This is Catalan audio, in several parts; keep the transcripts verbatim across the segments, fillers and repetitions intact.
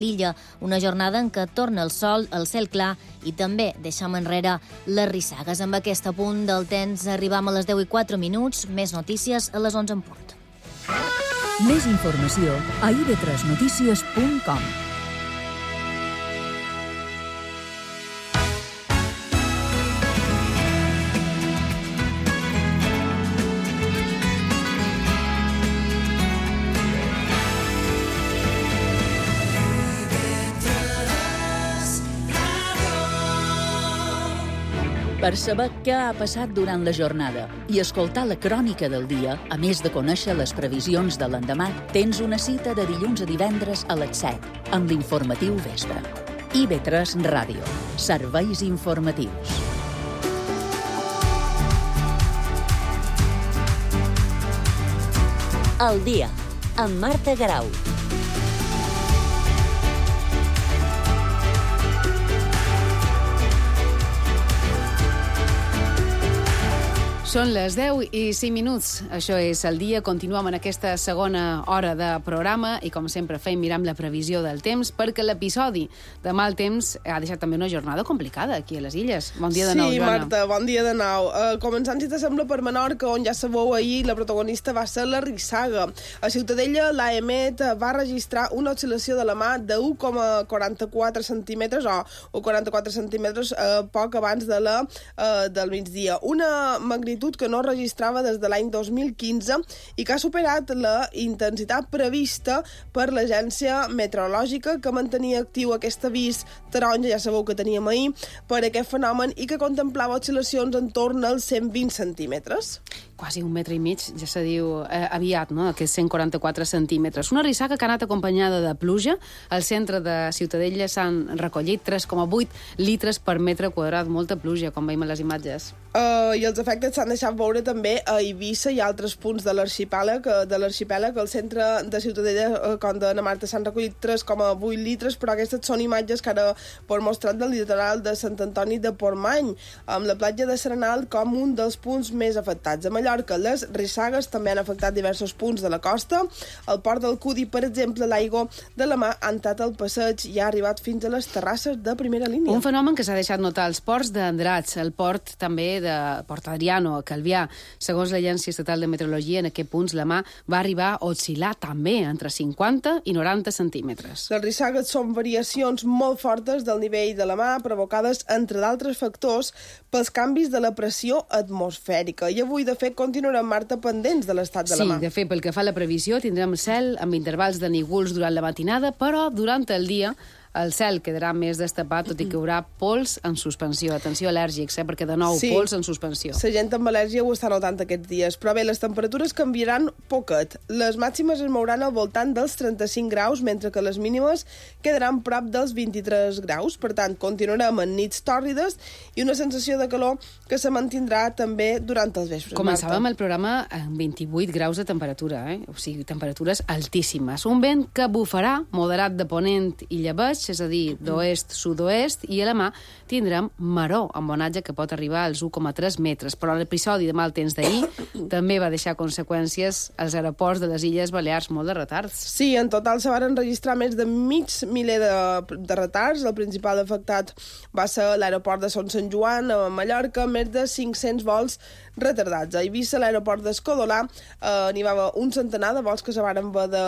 l'illa, una jornada en què torna el sol, el cel clar i també deixem enrere les rissagues. Amb aquest apunt del temps arribam a les deu i quatre minuts, més notícies a les onze en punt. Més informació a i ve tres notícies punt com. Per saber què ha passat durant la jornada i escoltar la crònica del dia, a més de conèixer les previsions de l'endemà, tens una cita de dilluns a divendres a les set, amb l'informatiu Vespre. i ve tres Ràdio. Serveis informatius. El dia, amb Marta Garau. Són les deu i cinc minuts. Això és el dia. Continuem en aquesta segona hora de programa i, com sempre, fem mirar la previsió del temps, perquè l'episodi de mal temps ha deixat també una jornada complicada aquí a les Illes. Bon dia de nou, sí, Joana. Sí, Marta, bon dia de nou. Uh, començant, si t'assembla, per Menorca, on ja sabeu ahir la protagonista va ser la rissaga. A Ciutadella, l'A E M E T va registrar una oscil·lació de la mà de u coma quaranta-quatre centímetres o u coma quaranta-quatre centímetres uh, poc abans de la, uh, del migdia. Una magnitud que no registrava des de l'any dos mil quinze i que ha superat la intensitat prevista per l'Agència Meteorològica, que mantenia actiu aquest avís taronja, ja sabeu que teníem ahir, per aquest fenomen i que contemplava oscil·lacions en torn als cent vint centímetres. Quasi un metre i mig, ja se diu eh, aviat, no?, aquests cent quaranta-quatre centímetres. Una rissaga que ha anat acompanyada de pluja. Al centre de Ciutadella s'han recollit tres coma vuit litres per metre quadrat. Molta pluja, com veiem a les imatges. Uh, I els efectes s'han deixat veure també a Eivissa i altres punts de l'arxipèlag. De l'arxipèlag, al centre de Ciutadella, uh, com de na Marta, s'han recollit tres coma vuit litres, però aquestes són imatges que ara per mostrat del litoral de Sant Antoni de Portmany, amb la platja de Serenal com un dels punts més afectats. A Mallorca, les rissagues també han afectat diversos punts de la costa. Al port del Cudi, per exemple, l'aigua de la mà ha entrat al passeig i ha arribat fins a les terrasses de primera línia. Un fenomen que s'ha deixat notar als ports d'Andratx, el port també de Port Adriano, a Calvià. Segons l'Agència Estatal de Meteorologia, en aquests punts la mà va arribar a oscil·lar també entre cinquanta i noranta centímetres. Les rissagues són variacions molt fortes del nivell de la mà, provocades, entre d'altres factors, pels canvis de la pressió atmosfèrica. I avui, de fet, continuarem, Marta, pendents de l'estat de la mà. Sí, de fet, pel que fa a la previsió, tindrem cel amb intervals de nígols durant la matinada, però durant el dia el cel quedarà més destapat, tot i que hi haurà pols en suspensió. Atenció al·lèrgics, eh? Perquè de nou, sí, pols en suspensió. La gent amb al·lèrgia ho està notant aquests dies. Però bé, les temperatures canviaran poquet. Les màximes es mouran al voltant dels trenta-cinc graus, mentre que les mínimes quedaran prop dels vint-i-tres graus. Per tant, continuarem en nits tòrrides i una sensació de calor que se mantindrà també durant els vespres. Començàvem Marta. el programa amb vint-i-vuit graus de temperatura, eh? O sigui, temperatures altíssimes. Un vent que bufarà moderat de ponent i llebeig, és a dir, d'oest, sud-oest, i a la mà tindrem maró, amb onatge que pot arribar als u coma tres metres. Però l'episodi de mal temps d'ahir també va deixar conseqüències als aeroports de les Illes Balears, molt de retards. Sí, en total se van registrar més de mig miler de, de retards. El principal afectat va ser l'aeroport de Son Sant Joan, a Mallorca, més de cinc-cents vols retardats. A Eivissa, l'aeroport d'Escodolà, eh, n'hi va un centenar de vols que se van haver de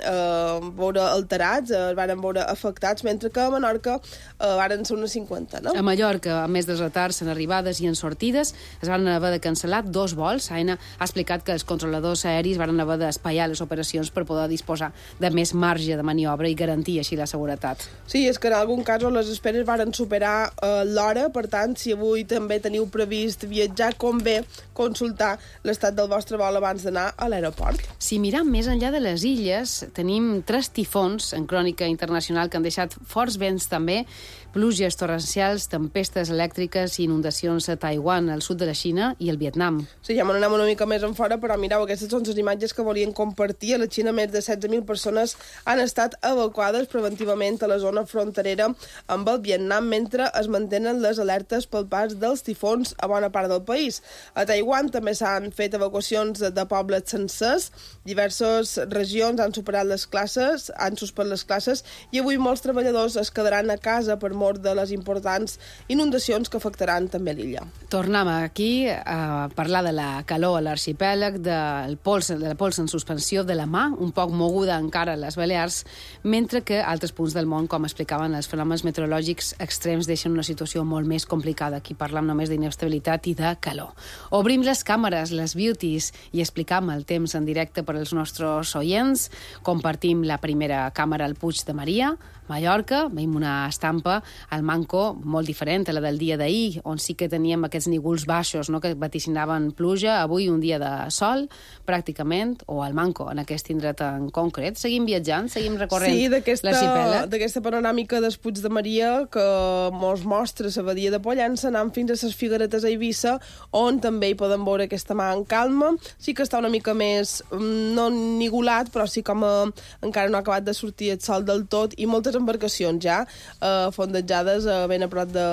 eh, veure alterats, es van veure afectats, mentre que a Menorca eh, van ser unes cinquanta, no? A Mallorca, a més dels retards en arribades i en sortides, es van haver de cancel·lar dos vols. Aena ha explicat que els controladors aeris van haver d'espaiar les operacions per poder disposar de més marge de maniobra i garantir així la seguretat. Sí, és que en algun cas les esperes varen superar eh, l'hora, per tant, si avui també teniu previst viatjar, convé consultar l'estat del vostre vol abans d'anar a l'aeroport. Si mirem més enllà de les illes, tenim tres tifons en crònica internacional que han deixat deixat forts vents també, pluges torrencials, tempestes elèctriques i inundacions a Taiwan, al sud de la Xina i el Vietnam. Sí, ja m'anem una mica més en fora, però mireu, aquestes són les imatges que volien compartir. A la Xina més de setze mil persones han estat evacuades preventivament a la zona fronterera amb el Vietnam, mentre es mantenen les alertes pel pas dels tifons a bona part del país. A Taiwan també s'han fet evacuacions de pobles sencers, diverses regions han superat les classes, han suspès les classes, i avui molts treballadors es quedaran a casa per mort de les importants inundacions que afectaran també l'illa. Tornem aquí a parlar de la calor a l'arxipèlag, del pols, de la pols en suspensió de la mà, un poc moguda encara a les Balears, mentre que altres punts del món, com explicaven, els fenòmens meteorològics extrems deixen una situació molt més complicada. Aquí parlem només d'inestabilitat i de calor. Obrim les càmeres, les beauties, i explicam el temps en directe per als nostres oients. Compartim la primera càmera al Puig de Maria, Mallorca. Veiem una estampa al Manco molt diferent a la del dia d'ahir, on sí que teníem aquests nígols baixos, no?, que vaticinaven pluja. Avui un dia de sol, pràcticament, o al Manco, en aquest indret en concret. Seguim viatjant, seguim recorrent sí, l'arxipèlag. Sí, d'aquesta panoràmica del Puig de Maria que mos mostra la badia de Pollença, anant fins a les Figueretes a Eivissa, on també hi podem veure aquesta mà en calma. Sí que està una mica més, no nigolat, però sí com a, encara no ha acabat de sortir el sol del tot, i moltes embarcacions ja eh, fondejades eh, ben a prop de,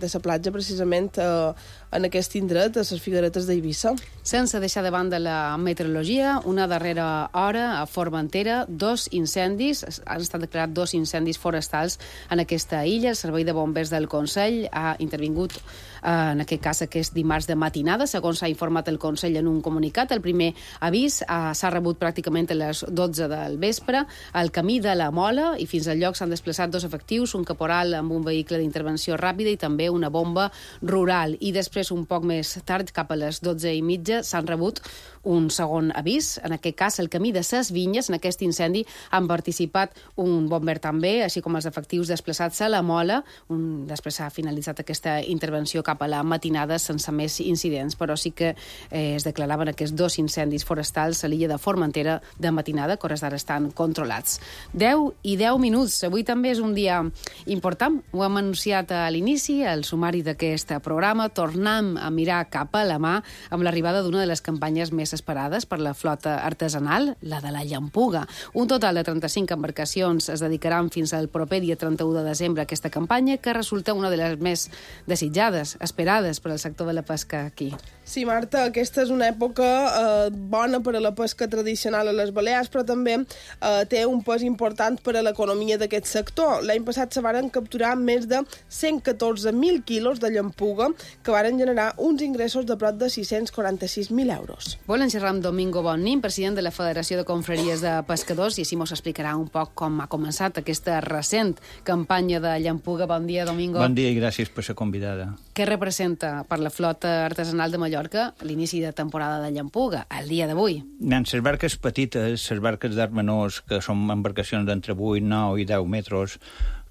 de la platja, precisament eh, en aquest indret, a les Figueretes d'Eivissa. Sense deixar de banda la meteorologia, una darrera hora a Formentera, dos incendis, han estat declarats dos incendis forestals en aquesta illa. El Servei de Bombers del Consell ha intervingut en aquest cas aquest dimarts de matinada, segons s'ha informat el Consell en un comunicat. El primer avís eh, s'ha rebut pràcticament a les dotze del vespre al camí de la Mola, i fins al lloc s'han desplaçat dos efectius, un caporal amb un vehicle d'intervenció ràpida i també una bomba rural. I després, un poc més tard, cap a les dotze i mitja, s'han rebut un segon avís. En aquest cas, el camí de ses Vinyes, en aquest incendi, han participat un bomber també, així com els efectius desplaçats a la Mola. Un, després s'ha finalitzat aquesta intervenció cap a la matinada sense més incidents, però sí que eh, es declaraven aquests dos incendis forestals a l'illa de Formentera de matinada, que hores d'ara estan controlats. deu i deu minuts. Avui també és un dia important. Ho hem anunciat a l'inici, al sumari d'aquest programa. Tornem a mirar cap a la mà amb l'arribada d'una de les campanyes més esperades per la flota artesanal, la de la llampuga. Un total de trenta-cinc embarcacions es dedicaran fins al proper dia trenta-u de desembre a aquesta campanya, que resulta una de les més desitjades, esperades per al sector de la pesca aquí. Sí, Marta, aquesta és una època eh, bona per a la pesca tradicional a les Balears, però també eh, té un pes important per a l'economia d'aquest sector. L'any passat se varen capturar més de cent catorze mil quilos de llampuga, que varen generar uns ingressos de prop de sis-cents quaranta-sis mil euros. Volen xerrar amb Domingo Bonnín, president de la Federació de Confraries de Pescadors, i així mos explicarà un poc com ha començat aquesta recent campanya de llampuga. Bon dia, Domingo. Bon dia i gràcies per ser convidada. Què representa per la flota artesanal de Mallorca l'inici de temporada de llampuga, el dia d'avui? Les barques petites, les barques d'arc menors, que són embarcacions d'entre vuit, nou i deu metres,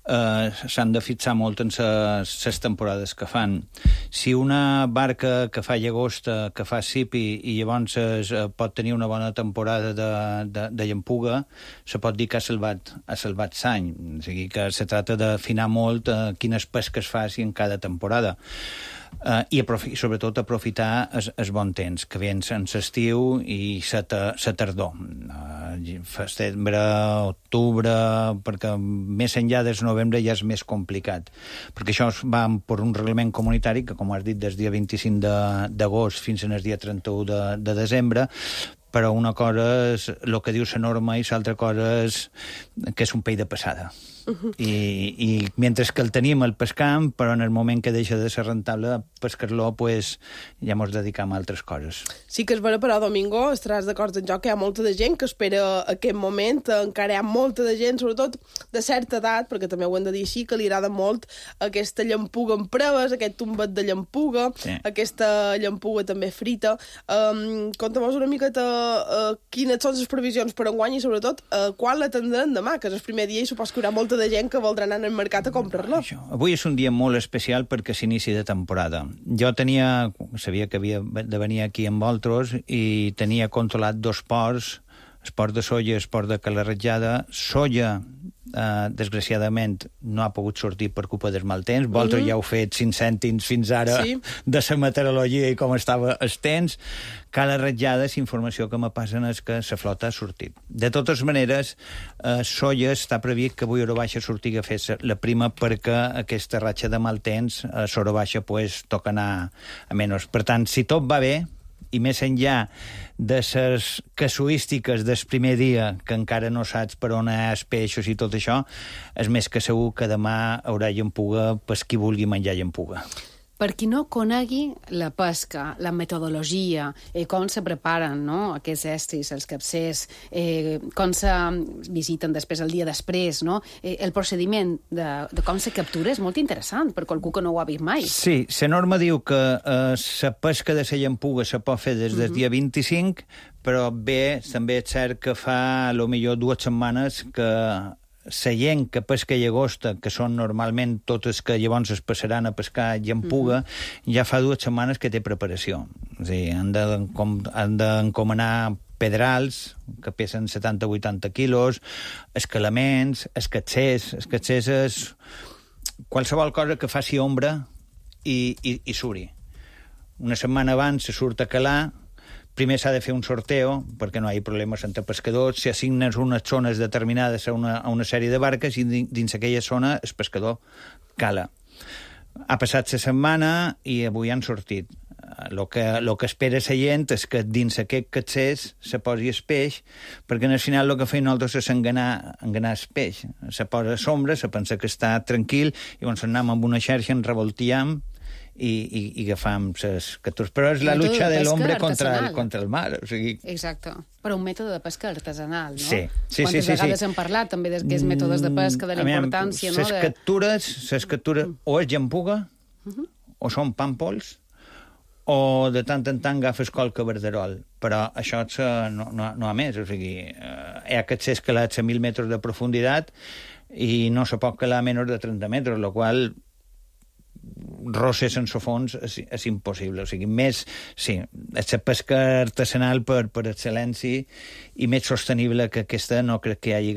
eh, s'han de fixar molt en les temporades que fan. Si una barca que fa llagosta, que fa sipi, i llavors eh, pot tenir una bona temporada de, de, de llampuga, se pot dir que ha salvat, ha salvat l'any. O sigui que se tracta d'afinar molt eh, quines pesques faci en cada temporada. Uh, i aprofi sobretot aprofitar el, el bon temps, que vens en l'estiu i la tardor. Uh, setembre, octubre, perquè més enllà del novembre ja és més complicat. Perquè això va per un reglament comunitari que, com has dit, des dia vint-i-cinc d'agost fins al dia trenta-u de, de desembre, però una cosa és el que diu la norma i l'altra cosa és que és un peix de passada. Uh-huh. I, i mentre que el tenim el pescam, però en el moment que deixa de ser rentable pescar-lo, pues, ja mos dedicam a altres coses. Sí que és vera, però, Domingo, estaràs d'acord en jo que hi ha molta de gent que espera aquest moment. Encara hi ha molta de gent, sobretot de certa edat, perquè també ho hem de dir així, que li agrada molt aquesta llampuga en preves, aquest tombet de llampuga, sí, aquesta llampuga també frita. Um, Conta-mos una miqueta uh, quines són les previsions per enguany i, sobretot, uh, quan la tindran demà, que és el primer dia i supos que hi haurà molta de gent que voldrà anar al mercat a comprar-la. Avui és un dia molt especial perquè s'inici de temporada. Jo tenia, sabia que havia de venir aquí amb vosaltres i tenia controlat dos ports el port de Sóller, el port de Cala Ratjada. Sóller, eh, desgraciadament, no ha pogut sortir per culpa del mal temps. Vosaltres mm -hmm. ja heu fet cinc cèntims fins ara sí. de la meteorologia i com estava el temps. Cala Ratjada, la informació que me passen és que la flota ha sortit. De totes maneres, eh, Sóller està previst que avui a hora baixa sortir a fer la prima perquè aquesta ratxa de mal temps a hora baixa pues, toca anar a menys. Per tant, si tot va bé, i més enllà de les casuístiques del primer dia, que encara no saps per on és peixos i tot això, és més que segur que demà haurà llampuga per qui vulgui menjar llampuga. Per qui no conegui la pesca, la metodologia, eh, com se preparen no? aquests estris, els capcers, eh, com se visiten després el dia després, no? eh, el procediment de, de com se captura és molt interessant per qualcú que no ho ha vist mai. Sí, la norma diu que la eh, pesca de la llampuga se pot fer des del uh-huh. dia vint-i-cinc, però bé, també és cert que fa a lo millor dues setmanes que la gent que pesca llagosta, que són normalment totes que llavors es passaran a pescar llampuga, mm-hmm. ja fa dues setmanes que té preparació. És a dir, han d'encomanar pedrals, que pesen setanta a vuitanta quilos, escalaments, escatsers. Escatsers és qualsevol cosa que faci ombra i, i, i suri. Una setmana abans se surt a calar. Primer s'ha de fer un sorteo, perquè no hi ha problemes entre pescadors, si assignes unes zones determinades a una, a una sèrie de barques i dins aquella zona el pescador cala. Ha passat la setmana i avui han sortit. El que, lo que espera la gent és que dins aquest catsers se posi el peix, perquè al final el que feim nosaltres és enganar, enganar el peix. Se posa a sombra, se pensa que està tranquil, i llavors anem amb una xarxa, en revoltiem, i, i, i agafam les captures. Però és la lucha de l'hombre contra, el, contra el mar. O sigui... Exacte. Però un mètode de pesca artesanal, no? Sí, sí, Quantes sí. sí, vegades sí. hem parlat també d'aquests mètodes de pesca, de la importància, no? Les captures, les captures o és llampuga, uh-huh. o són pàmpols, o de tant en tant agafes qualque verderol. Però això no, no, no ha més. O sigui, hi ha catsers calats a mil metres de profunditat i no se pot calar a menys de trenta metres, el qual roser sense fons és, és impossible. O sigui, més, sí, és la pesca artesanal per, per excel·lència i més sostenible que aquesta no crec que hi hagi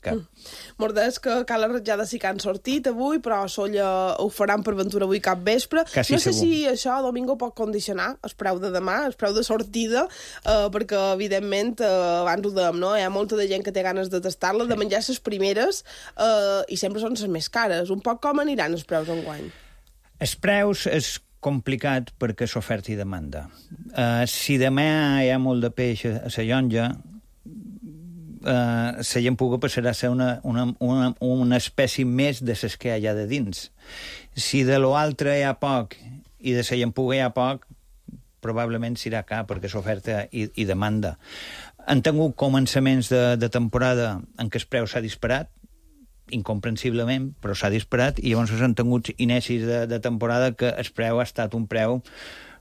cap. Mm. Mordés que Cala Ratjada sí que han sortit avui, però a Sóller ho faran per ventura avui cap vespre. Quasi no sé segur. si això, Domingo, pot condicionar el preu de demà, el preu de sortida, eh, perquè, evidentment, eh, abans ho dèiem, no? Hi ha molta de gent que té ganes de tastar-la, sí. de menjar les primeres, eh, i sempre són les més cares. Un poc com aniran els preus enguany? Els preus és complicat perquè és oferta i demanda. Uh, si demà hi ha molt de peix a la llonja, uh, la llampuga passarà a ser una, una, una, una espècie més de les que hi ha allà de dins. Si de l'altre hi ha poc i de la llampuga hi ha poc, probablement s'irà cap perquè és oferta i, i demanda. Han tingut començaments de, de temporada en què el preu s'ha disparat, incomprensiblement, però s'ha disparat, i llavors han tingut inicis de, de temporada que el preu ha estat un preu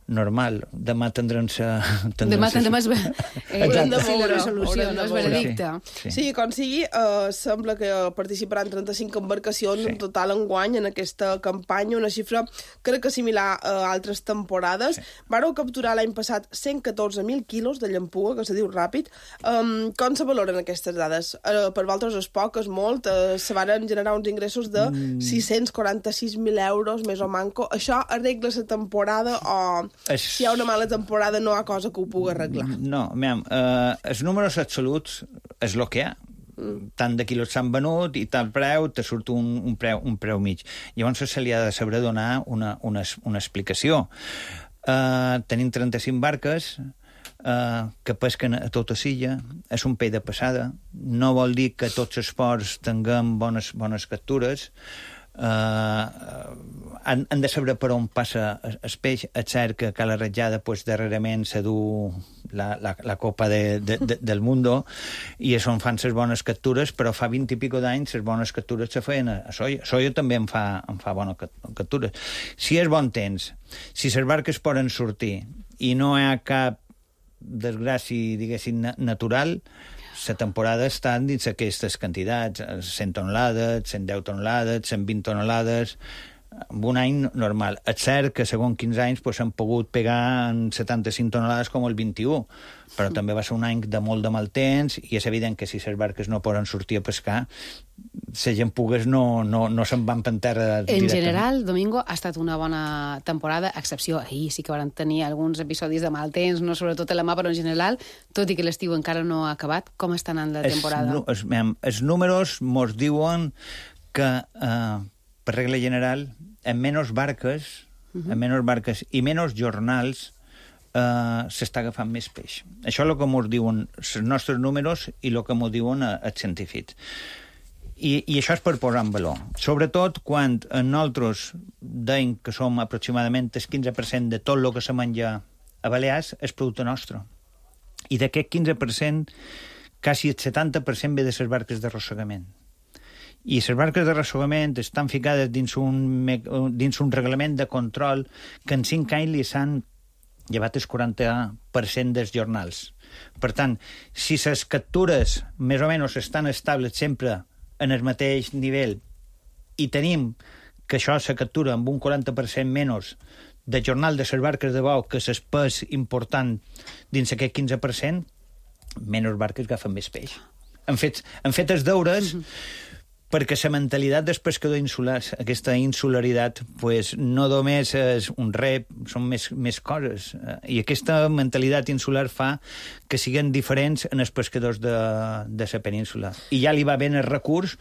normal. Demà tindran sa... Demà tindrem es... eh, de sí, la resolució, no és veredicte. Sí, sí. sí, com sigui, eh, sembla que participaran trenta-cinc embarcacions sí. en total enguany en aquesta campanya, una xifra crec que similar a altres temporades. Sí. Vareu capturar l'any passat cent catorze mil quilos de llampuga, que se diu ràpid. Um, com se valoren aquestes dades? Uh, per vosaltres és poc, és molt. Uh, se van generar uns ingressos de mm. sis-cents quaranta-sis mil euros, més o manco. Això arregla la temporada o... Es... Si hi ha una mala temporada no hi ha cosa que ho pugui arreglar? No, mira, uh, els números absoluts és el que hi ha. Mm. Tant de quilos s'han venut i tal preu, te surt un, un, preu, un preu mig. Llavors se li ha de saber donar una, una, una explicació. Uh, tenim trenta-cinc barques uh, que pesquen a tota silla, és un peix de passada, no vol dir que tots els ports tinguem bones, bones captures. Uh, han, han de saber per on passa el peix. És cert que a Cala Ratjada pues, darrerament se du la, la, la copa de, de, de, del mundo i és on fan les bones captures, però fa vint i pico d'anys les bones captures se feien a Sóller. Sóller també en fa, en fa bones captures. Si és bon temps, si les barques poden sortir i no hi ha cap desgràcia, diguéssim, natural, la temporada està dins aquestes quantitats, cent tonelades, cent deu tonelades, cent vint tonelades, en un any normal. És cert que segons quinze anys s'han pues, pogut pegar en setanta-cinc tonelades com el vint-i-u, però mm. també va ser un any de molt de mal temps i és evident que si les barques no poden sortir a pescar, la gent pugues no, no, no se'n van per terra directament. En general, Domingo, ha estat una bona temporada, a excepció ahir sí que van tenir alguns episodis de mal temps, no sobretot a la mà, però en general, tot i que l'estiu encara no ha acabat, com està anant la temporada? Els, els, els números mos diuen que, eh, per regla general, en menys barques, uh-huh. en menys barques i menys jornals, Uh, s'està agafant més peix. Això és el que ens diuen els nostres números i el que ens diuen els científics. I, I això és per posar en valor. Sobretot quan nosaltres deim que som aproximadament el quinze per cent de tot el que se menja a Balears és producte nostre. I d'aquest quinze per cent, quasi el setanta per cent ve de les barques d'arrossegament. I les barques d'arrossegament estan ficades dins un, dins un reglament de control que en cinc anys li s'han llevat el quaranta per cent dels jornals. Per tant, si les captures més o menys estan estables sempre en el mateix nivell i tenim que això se captura amb un quaranta per cent menys de jornal de les barques de bou que l'espès important dins aquest quinze per cent, menys barques agafen més peix. Han fet, han fet els deures perquè la mentalitat dels pescadors insulars, aquesta insularitat, pues, no només és un rep, són més, més coses. I aquesta mentalitat insular fa que siguin diferents en els pescadors de, de la península. I ja li va bé el recurs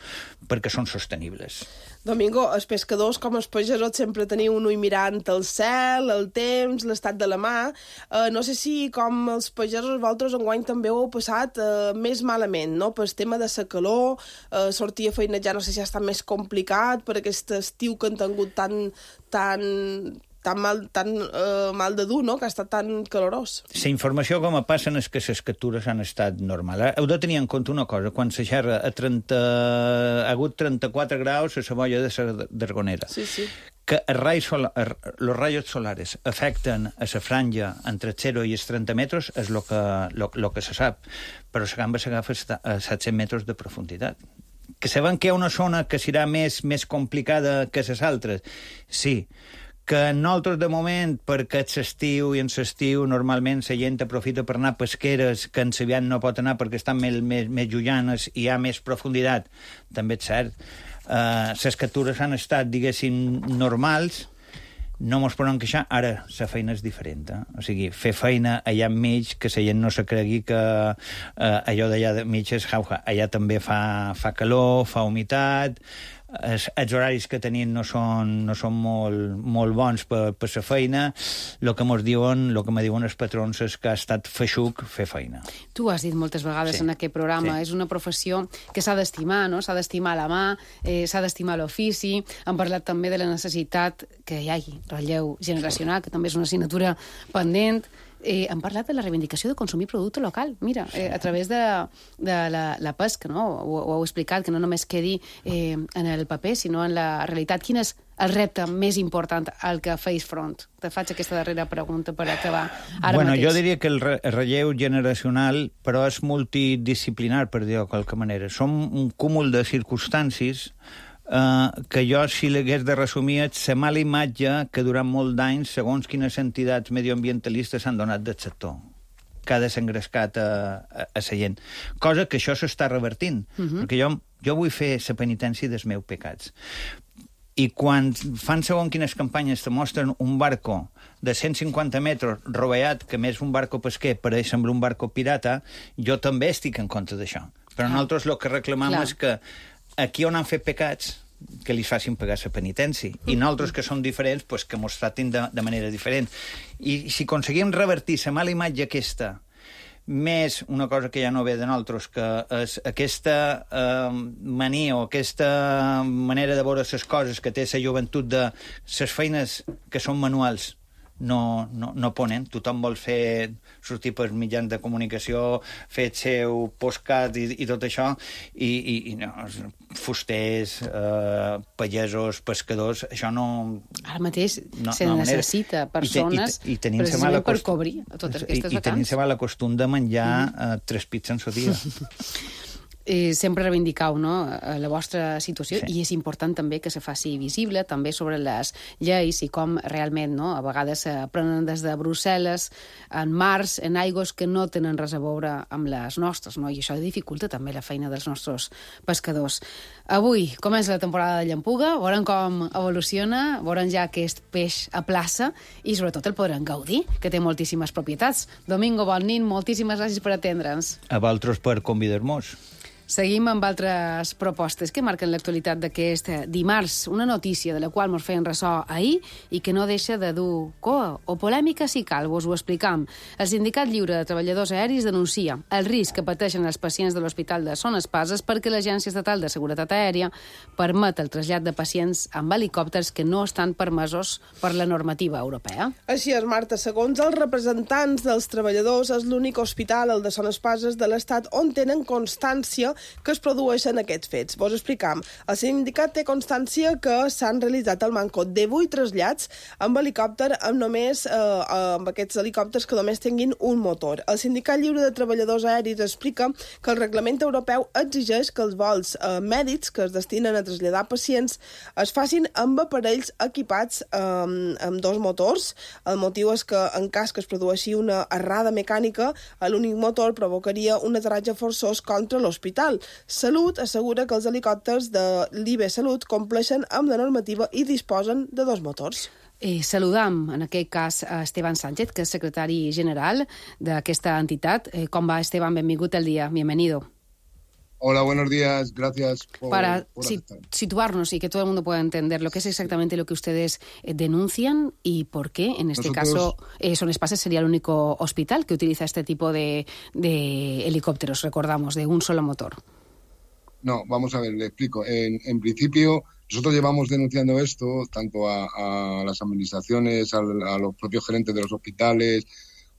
perquè són sostenibles. Domingo, els pescadors, com els pagesos, sempre teniu un ull mirant el cel, el temps, l'estat de la mà. Uh, no sé si, com els pagesos, vosaltres enguany també ho heu passat uh, més malament, no? Per el tema de la calor, uh, sortir a feinejar no sé si ha estat més complicat per aquest estiu que han tingut tan, tan, tan, mal, tan uh, mal de dur, no? Que ha estat tan calorós. La informació com a passen és que les captures han estat normals. Heu de tenir en compte una cosa, quan se xerra a trenta, ha hagut trenta-quatre graus a la boia de la Dargonera. Sí, sí. Que els raios, sola, los rayos solares afecten a la franja entre el zero i els trenta metres és el que, lo, lo que se sap, però la gamba s'agafa a set-cents metres de profunditat. Que sabem que hi ha una zona que serà més, més complicada que les altres? Sí. Que nosaltres, de moment, perquè és estiu i en l'estiu normalment la gent aprofita per anar a pesqueres que en l'Aviat no pot anar perquè estan més, més, més llullanes i hi ha més profunditat, també és cert. Uh, les captures han estat, diguéssim, normals, no mos podem queixar. Ara, la feina és diferent. Eh? O sigui, fer feina allà enmig, que la gent no se cregui que uh, allò d'allà enmig és jauja. Allà també fa, fa calor, fa humitat, els, els horaris que tenim no són, no són molt, molt bons per, per la feina. El que mos diuen, el que me diuen els patrons és que ha estat feixuc fer feina. Tu has dit moltes vegades sí. en aquest programa, sí. és una professió que s'ha d'estimar, no? S'ha d'estimar la mà, eh, s'ha d'estimar l'ofici. Hem parlat també de la necessitat que hi hagi relleu generacional, que també és una assignatura pendent. Eh, hem parlat de la reivindicació de consumir producte local. Mira, eh, a través de, de la, la pesca, no? Ho, ho heu explicat, que no només quedi eh, en el paper, sinó en la realitat. Quin és el repte més important al que feis front? Te faig aquesta darrera pregunta per acabar ara bueno, mateix. Jo diria que el, re el relleu generacional, però és multidisciplinar, per dir-ho de qualque manera. Som un cúmul de circumstàncies Uh, que jo, si l'hagués de resumir, és la mala imatge que durant molt d'anys, segons quines entitats medioambientalistes s'han donat del sector, que ha desengrescat a, a, a la gent. Cosa que això s'està revertint, uh-huh. perquè jo, jo vull fer la penitència dels meus pecats. I quan fan segons quines campanyes te mostren un barco de cent cinquanta metres rovellat, que més un barco pesquer pareix sembla un barco pirata, jo també estic en contra d'això. Però ah. nosaltres el que reclamam Clar. és que aquí on han fet pecats, que li facin pagar la penitència. I nosaltres, que som diferents, pues, que mos tratin de, de manera diferent. I si aconseguim revertir la mala imatge aquesta, més una cosa que ja no ve de nosaltres, que és aquesta eh, mania o aquesta manera de veure les coses que té la joventut de les feines que són manuals, no, no, no ponen. Tothom vol fer, sortir per mitjans de comunicació, fer el seu postcat i, i tot això, i, i, i no, fusters, eh, pagesos, pescadors, això no... Ara mateix no, se no necessita persones I, i, i, i precisament per cobrir totes aquestes i, vacants. I tenim la costum de menjar mm. eh, tres pits en el dia. Eh, sempre reivindicau, no?, la vostra situació, sí. I és important també que se faci visible també sobre les lleis i com realment, no?, a vegades se prenen des de Brussel·les en mars, en aigües que no tenen res a veure amb les nostres, no?, i això dificulta també la feina dels nostres pescadors. Avui comença la temporada de llampuga, veurem com evoluciona, veurem ja aquest peix a plaça i sobretot el podrem gaudir, que té moltíssimes propietats. Domingo, bon nit, moltíssimes gràcies per atendre'ns. A vosaltres per convidar-nos. Seguim amb altres propostes que marquen l'actualitat d'aquest dimarts. Una notícia de la qual ens feien ressò ahir i que no deixa de dur coa o polèmica si cal, vos ho explicam. El Sindicat Lliure de Treballadors Aeris denuncia el risc que pateixen els pacients de l'Hospital de Son Espases perquè l'Agència Estatal de Seguretat Aèria permet el trasllat de pacients amb helicòpters que no estan permesos per la normativa europea. Així és, Marta. Segons els representants dels treballadors, és l'únic hospital, el de Son Espases, de l'Estat on tenen constància que es produeixen aquests fets. Vos explicam. El sindicat té constància que s'han realitzat al manco divuit trasllats amb helicòpter amb només eh, amb aquests helicòpters que només tinguin un motor. El Sindicat Lliure de Treballadors Aeris explica que el reglament europeu exigeix que els vols eh, mèdics que es destinen a traslladar pacients es facin amb aparells equipats eh, amb dos motors. El motiu és que en cas que es produeixi una errada mecànica, l'únic motor provocaria un aterratge forçós contra l'hospital. Salut assegura que els helicòpters de l'I B Salut compleixen amb la normativa i disposen de dos motors. Eh, saludam, en aquest cas, a Esteban Sánchez, que és secretari general d'aquesta entitat. Eh, com va, Esteban? Benvingut al dia. Bienvenido. Hola, buenos días. Gracias por, Para por si, situarnos y que todo el mundo pueda entender lo que es exactamente lo que ustedes eh, denuncian y por qué, en este Nosotros... caso, eh, Son Espases sería el único hospital que utiliza este tipo de, de helicópteros, recordamos, de un solo motor. No, vamos a ver, le explico. En, en principio, nosotros llevamos denunciando esto tanto a, a las administraciones, a, a los propios gerentes de los hospitales,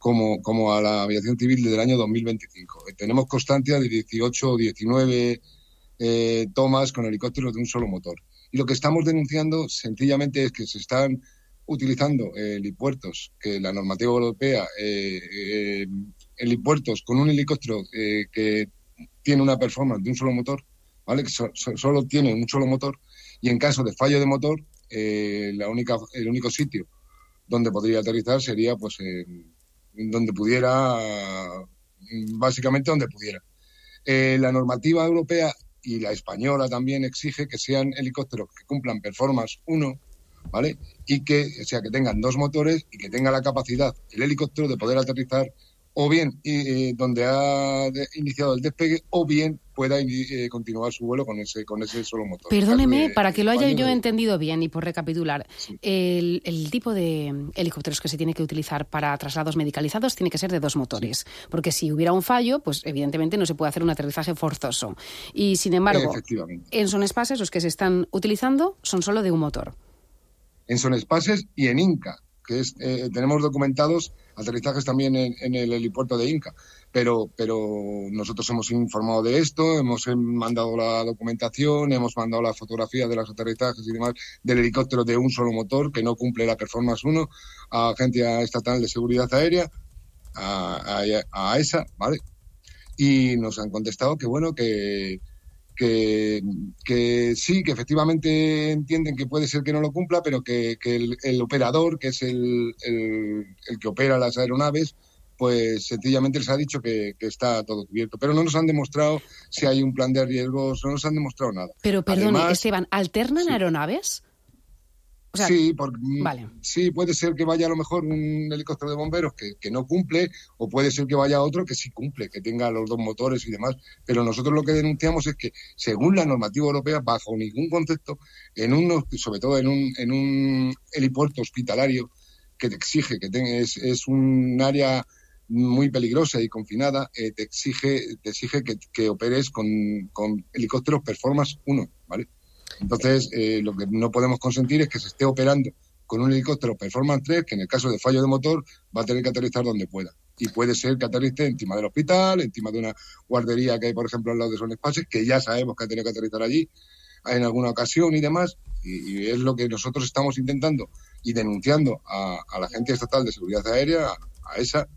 Como, como a la aviación civil desde el año dos mil veinticinco. Tenemos constancia de dieciocho o diecinueve eh, tomas con helicópteros de un solo motor. Y lo que estamos denunciando sencillamente es que se están utilizando eh, helipuertos, que la normativa europea, eh, eh, helipuertos con un helicóptero eh, que tiene una performance de un solo motor, ¿vale? Que so, so, solo tiene un solo motor, y en caso de fallo de motor, eh, la única, el único sitio donde podría aterrizar sería pues eh, donde pudiera, básicamente donde pudiera. Eh, la normativa europea y la española también exige que sean helicópteros que cumplan Performance uno, ¿vale? Y que, o sea, que tengan dos motores y que tenga la capacidad el helicóptero de poder aterrizar o bien eh, donde ha de, iniciado el despegue, o bien pueda eh, continuar su vuelo con ese con ese solo motor. Perdóneme, de, para que lo haya yo de... entendido bien y por recapitular, sí. el, el tipo de helicópteros que se tiene que utilizar para traslados medicalizados tiene que ser de dos motores, sí. Porque si hubiera un fallo, pues evidentemente no se puede hacer un aterrizaje forzoso. Y sin embargo, en Son Espases los que se están utilizando son solo de un motor. En Son Espases y en Inca, que es, eh, tenemos documentados aterrizajes también en, en el helipuerto de Inca, pero, pero nosotros hemos informado de esto, hemos mandado la documentación, hemos mandado la fotografía de los aterrizajes y demás del helicóptero de un solo motor que no cumple la Performance uno a Agencia Estatal de Seguridad Aérea, a, a, a esa, ¿vale? Y nos han contestado que bueno, que Que, que sí, que efectivamente entienden que puede ser que no lo cumpla, pero que, que el, el operador, que es el, el, el que opera las aeronaves, pues sencillamente les ha dicho que, que está todo cubierto. Pero no nos han demostrado si hay un plan de riesgos, no nos han demostrado nada. Pero, perdone, Además, Esteban, ¿alternan sí. aeronaves? O sea, sí, porque, vale. sí, puede ser que vaya a lo mejor un helicóptero de bomberos que, que no cumple, o puede ser que vaya otro que sí cumple, que tenga los dos motores y demás. Pero nosotros lo que denunciamos es que, según la normativa europea, bajo ningún concepto, en un, sobre todo en un, en un helipuerto hospitalario que te exige, que ten, es, es un área muy peligrosa y confinada, eh, te exige, te exige que, que operes con, con helicópteros Performance uno, ¿vale? Entonces, eh, lo que no podemos consentir es que se esté operando con un helicóptero Performance tres, que en el caso de fallo de motor va a tener que aterrizar donde pueda. Y puede ser que aterrice encima del hospital, encima de una guardería que hay, por ejemplo, al lado de Son Espases, que ya sabemos que ha tenido que aterrizar allí en alguna ocasión y demás. Y, y es lo que nosotros estamos intentando y denunciando a, a la Agencia Estatal de Seguridad Aérea, a, a esa,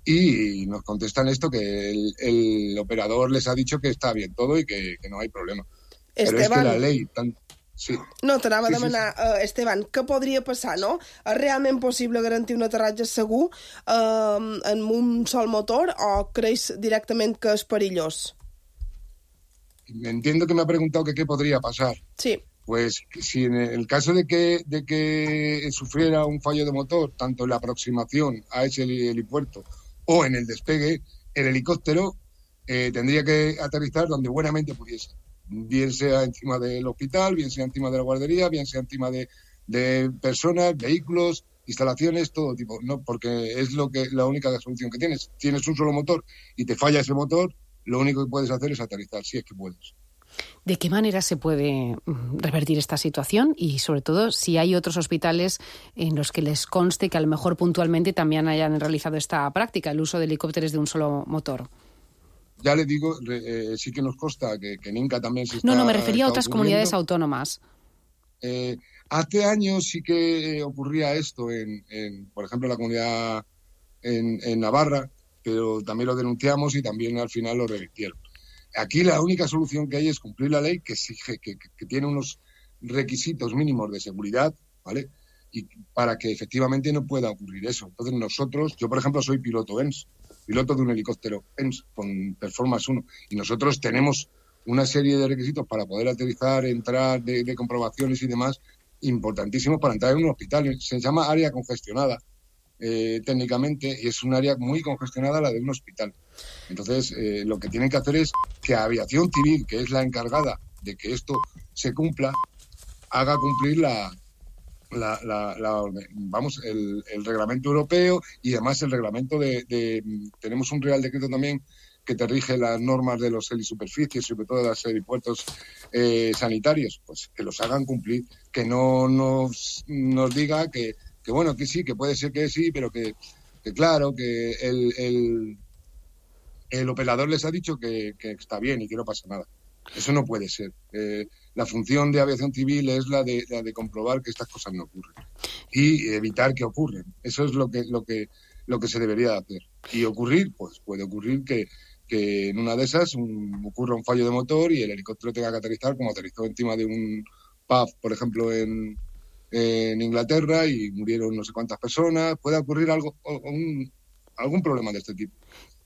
y nos contestan esto, que el, el operador les ha dicho que está bien todo y que, que no hay problema. Esteban, però és que la ley... Tan... Sí. No, t'anava sí, a demanar, sí, sí. Uh, Esteban, què podria passar, no? És realment possible garantir un aterratge segur uh, en un sol motor o creus directament que és perillós? Entiendo que me ha preguntado que qué podría pasar. Sí. Pues si en el caso de que, de que sufriera un fallo de motor, tanto en la aproximación a ese helipuerto o en el despegue, el helicóptero eh, tendría que aterrizar donde buenamente pudiese. Bien sea encima del hospital, bien sea encima de la guardería, bien sea encima de, de personas, vehículos, instalaciones, todo tipo, no, porque es lo que la única solución que tienes. Tienes un solo motor y te falla ese motor, lo único que puedes hacer es aterrizar, si es que puedes. ¿De qué manera se puede revertir esta situación? Y sobre todo, si hay otros hospitales en los que les conste que a lo mejor puntualmente también hayan realizado esta práctica, el uso de helicópteros de un solo motor. Ya le digo, eh, sí que nos consta que, que en Inca también se está... No, no, me refería a otras comunidades autónomas. Eh, hace años sí que ocurría esto, en, en por ejemplo, la comunidad en, en Navarra, pero también lo denunciamos y también al final lo revirtieron. Aquí la única solución que hay es cumplir la ley que exige, que, que, que tiene unos requisitos mínimos de seguridad, ¿vale? Y para que efectivamente no pueda ocurrir eso. Entonces nosotros, yo por ejemplo soy piloto E N S, piloto de un helicóptero E N S con Performance uno, y nosotros tenemos una serie de requisitos para poder aterrizar, entrar, de, de comprobaciones y demás, importantísimos para entrar en un hospital. Se llama área congestionada, eh, técnicamente, y es un área muy congestionada la de un hospital. Entonces, eh, lo que tienen que hacer es que Aviación Civil, que es la encargada de que esto se cumpla, haga cumplir la... La, la, la, vamos, el, el reglamento europeo y además el reglamento de, de... Tenemos un Real Decreto también que te rige las normas de los helisuperficies, sobre todo de los helipuertos eh, sanitarios, pues que los hagan cumplir, que no nos, nos diga que, que, bueno, que sí, que puede ser que sí, pero que, que claro, que el, el, el operador les ha dicho que, que está bien y que no pasa nada. Eso no puede ser. Eh, la función de Aviación Civil es la de, la de comprobar que estas cosas no ocurren y evitar que ocurran. Eso es lo que, lo que, lo que se debería de hacer. Y ocurrir, pues puede ocurrir que, que en una de esas un, ocurra un fallo de motor y el helicóptero tenga que aterrizar, como aterrizó encima de un pub, por ejemplo, en, en Inglaterra, y murieron no sé cuántas personas. Puede ocurrir algo, un, algún problema de este tipo.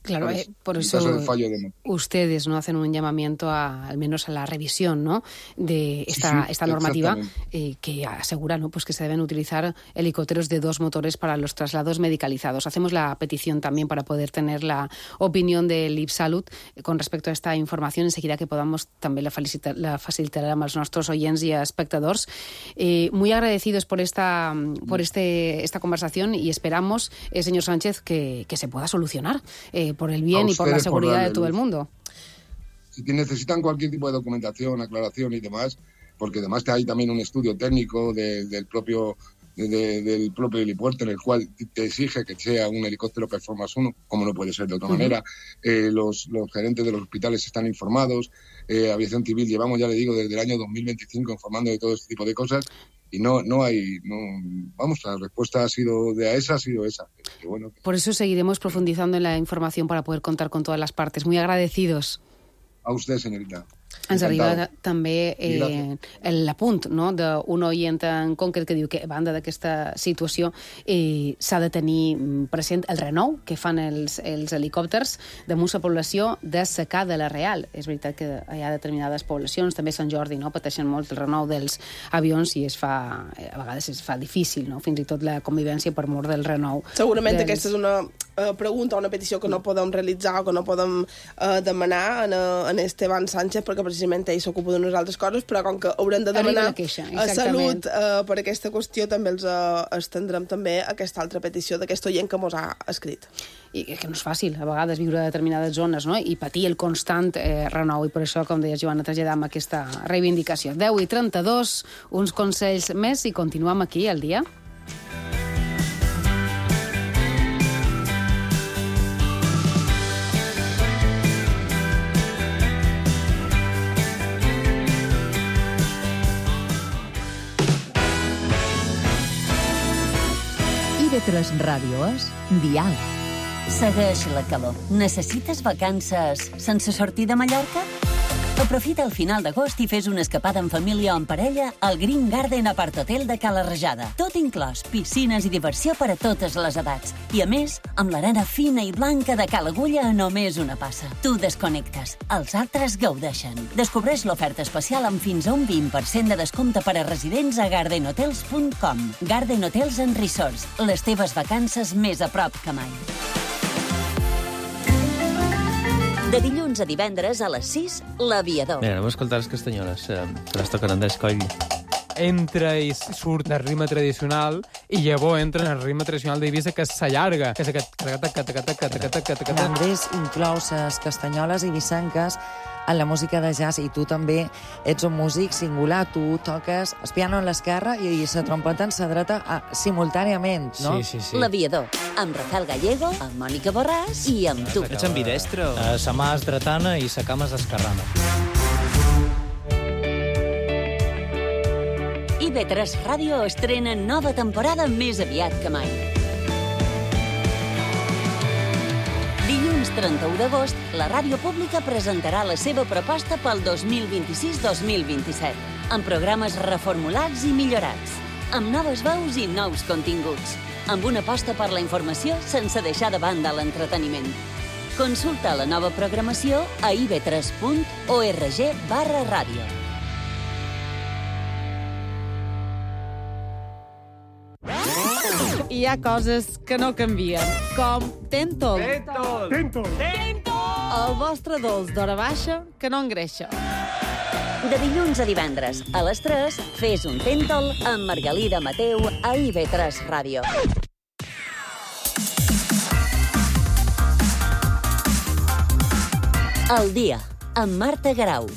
Claro, eh, por eso de ustedes no hacen un llamamiento a, al menos a la revisión, ¿no?, de esta, sí, sí, esta normativa eh, que asegura, ¿no?, pues que se deben utilizar helicópteros de dos motores para los traslados medicalizados. Hacemos la petición también para poder tener la opinión del IPSalut eh, con respecto a esta información. Enseguida que podamos també la, felicitar, la facilitarem als nostres oients i espectadors. Eh, muy agradecidos por esta, por este, esta conversación y esperamos, eh, señor Sánchez, que, que se pueda solucionar. Eh, por el bien y por la seguridad por de todo el mundo. Si necesitan cualquier tipo de documentación, aclaración y demás, porque además hay también un estudio técnico de, del propio de, de, del propio helipuerto en el cual te exige que sea un helicóptero Performance uno, como no puede ser de otra uh-huh. manera. Eh, los, los gerentes de los hospitales están informados. Eh, Aviación Civil llevamos, ya le digo, desde el año dos mil veinticinco informando de todo este tipo de cosas. Y no, no hay, no, vamos, la respuesta ha sido de a esa, ha sido esa. Que bueno, que... Por eso seguiremos profundizando en la información para poder contar con todas las partes. Muy agradecidos. A usted, señorita. Ens arriba també eh, l'apunt, no?, d'un oient en concret que diu que a banda d'aquesta situació eh, s'ha de tenir present el renou que fan els, els helicòpters damunt la població de secada la real. És veritat que hi ha determinades poblacions, també Sant Jordi, no?, pateixen molt el renou dels avions i es fa, a vegades es fa difícil, no?, fins i tot la convivència per mort del renou. Segurament dels... aquesta és una uh, pregunta, una petició que no podem realitzar o que no podem uh, demanar en, en Esteban Sánchez, perquè precisament ell s'ocupa d'unes altres coses, però com que haurem de demanar queixa, a Salut uh, per aquesta qüestió, també els uh, estendrem també aquesta altra petició d'aquest oient que mos ha escrit. I que no és fàcil, a vegades, viure a determinades zones, no?, i patir el constant eh, renou, i per això, com deia Joana, traslladam aquesta reivindicació. deu i trenta-dos, uns consells més i continuem aquí al dia. I de tres ràdio és Dial. Segueix la calor. Necessites vacances sense sortir de Mallorca? Aprofita el final d'agost i fes una escapada en família o en parella al Green Garden Apart Hotel de Cala Rajada. Tot inclòs, piscines i diversió per a totes les edats. I a més, amb l'arena fina i blanca de Cala Agulla a només una passa. Tu desconnectes, els altres gaudeixen. Descobreix l'oferta especial amb fins a un vint per cent de descompte per a residents a garden hotels punt com. Garden Hotels and Resorts, les teves vacances més a prop que mai. De dilluns a divendres a les sis, l'Aviador. Mira, anem a escoltar les castanyoles, eh, que les toquen Andrés Coll. Entra i surt el ritme tradicional i llavors entra en el ritme tradicional d'Eivissa, que s'allarga, que és aquest... Andrés inclou les castanyoles eivissenques en la música de jazz, i tu també ets un músic singular. Tu toques el piano a l'esquerra i la trompeta en la dreta a, simultàniament, no? Sí, sí, sí. L'Aviador, amb Rafael Gallego, amb Mònica Borràs i amb tu. Ets ambidestre? Uh, sa mà és dretana i sa cama és esquerrana. I ve tres Ràdio estrena nova temporada més aviat que mai. Dilluns trenta-u d'agost, la ràdio pública presentarà la seva proposta pel dos mil vint-i-sis dos mil vint-i-set, amb programes reformulats i millorats, amb noves veus i nous continguts, amb una aposta per la informació sense deixar de banda l'entreteniment. Consulta la nova programació a i ve tres punt org barra ràdio. Hi ha coses que no canvien, com Tentol. Tentol! Tentol! Tentol! El vostre dolç d'hora baixa que no engreixa. De dilluns a divendres, a les tres, fes un Tentol amb Margalida Mateu a i ve tres Ràdio. El dia, amb Marta Garau.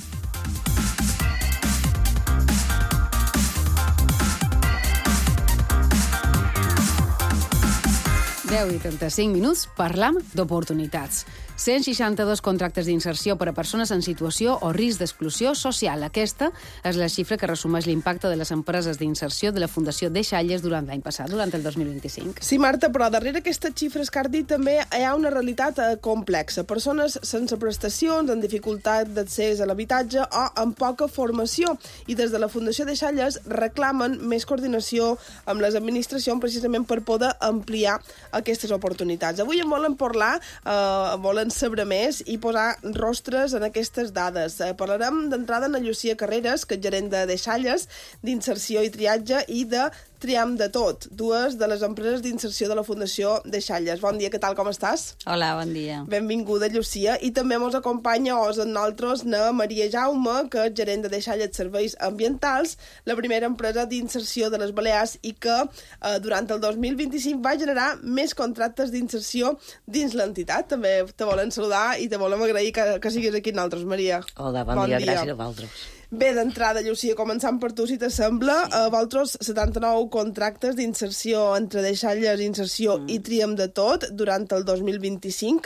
deu i trenta-cinc minuts, parlam d'oportunitats. cent seixanta-dos contractes d'inserció per a persones en situació o risc d'exclusió social. Aquesta és la xifra que resumeix l'impacte de les empreses d'inserció de la Fundació Deixalles durant l'any passat, durant el dos mil vint-i-cinc. Sí, Marta, però darrere aquestes xifres que has dit també hi ha una realitat eh, complexa. Persones sense prestacions, amb dificultat d'accés a l'habitatge o amb poca formació. I des de la Fundació Deixalles reclamen més coordinació amb les administracions precisament per poder ampliar aquestes oportunitats. Avui en volen parlar, eh, volen saber més i posar rostres en aquestes dades. Eh, parlarem d'entrada en Llucia Carreras, que és gerent de Deixalles, d'inserció i triatge, i de Triam de Tot, dues de les empreses d'inserció de la Fundació Deixalles. Bon dia, què tal, com estàs? Hola, bon dia. Benvinguda, Llucia. I també ens acompanya os en nosaltres na Maria Jaume, que és gerent de Deixalles Serveis Ambientals, la primera empresa d'inserció de les Balears i que eh, durant el dos mil vint-i-cinc va generar més contractes d'inserció dins l'entitat. També te volen saludar i te volem agrair que, que siguis aquí amb nosaltres, Maria. Hola, bon, bon dia, dia, gràcies a vosaltres. Bé, d'entrada, Llucia, començant per tu, si t'assembla, sí. a vosaltres setanta-nou contractes d'inserció entre Deixalles, inserció mm. i Triam de Tot durant el dos mil vint-i-cinc.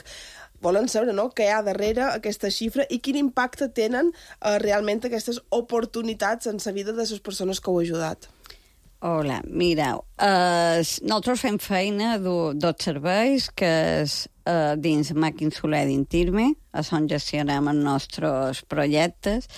Volen saber, no?, què hi ha darrere aquesta xifra i quin impacte tenen eh, realment aquestes oportunitats en la vida de les persones que heu ajudat. Hola, mireu, eh, nosaltres fem feina dos serveis que és eh, dins Màquin Soler d'Intirme, on gestionem els nostres projectes.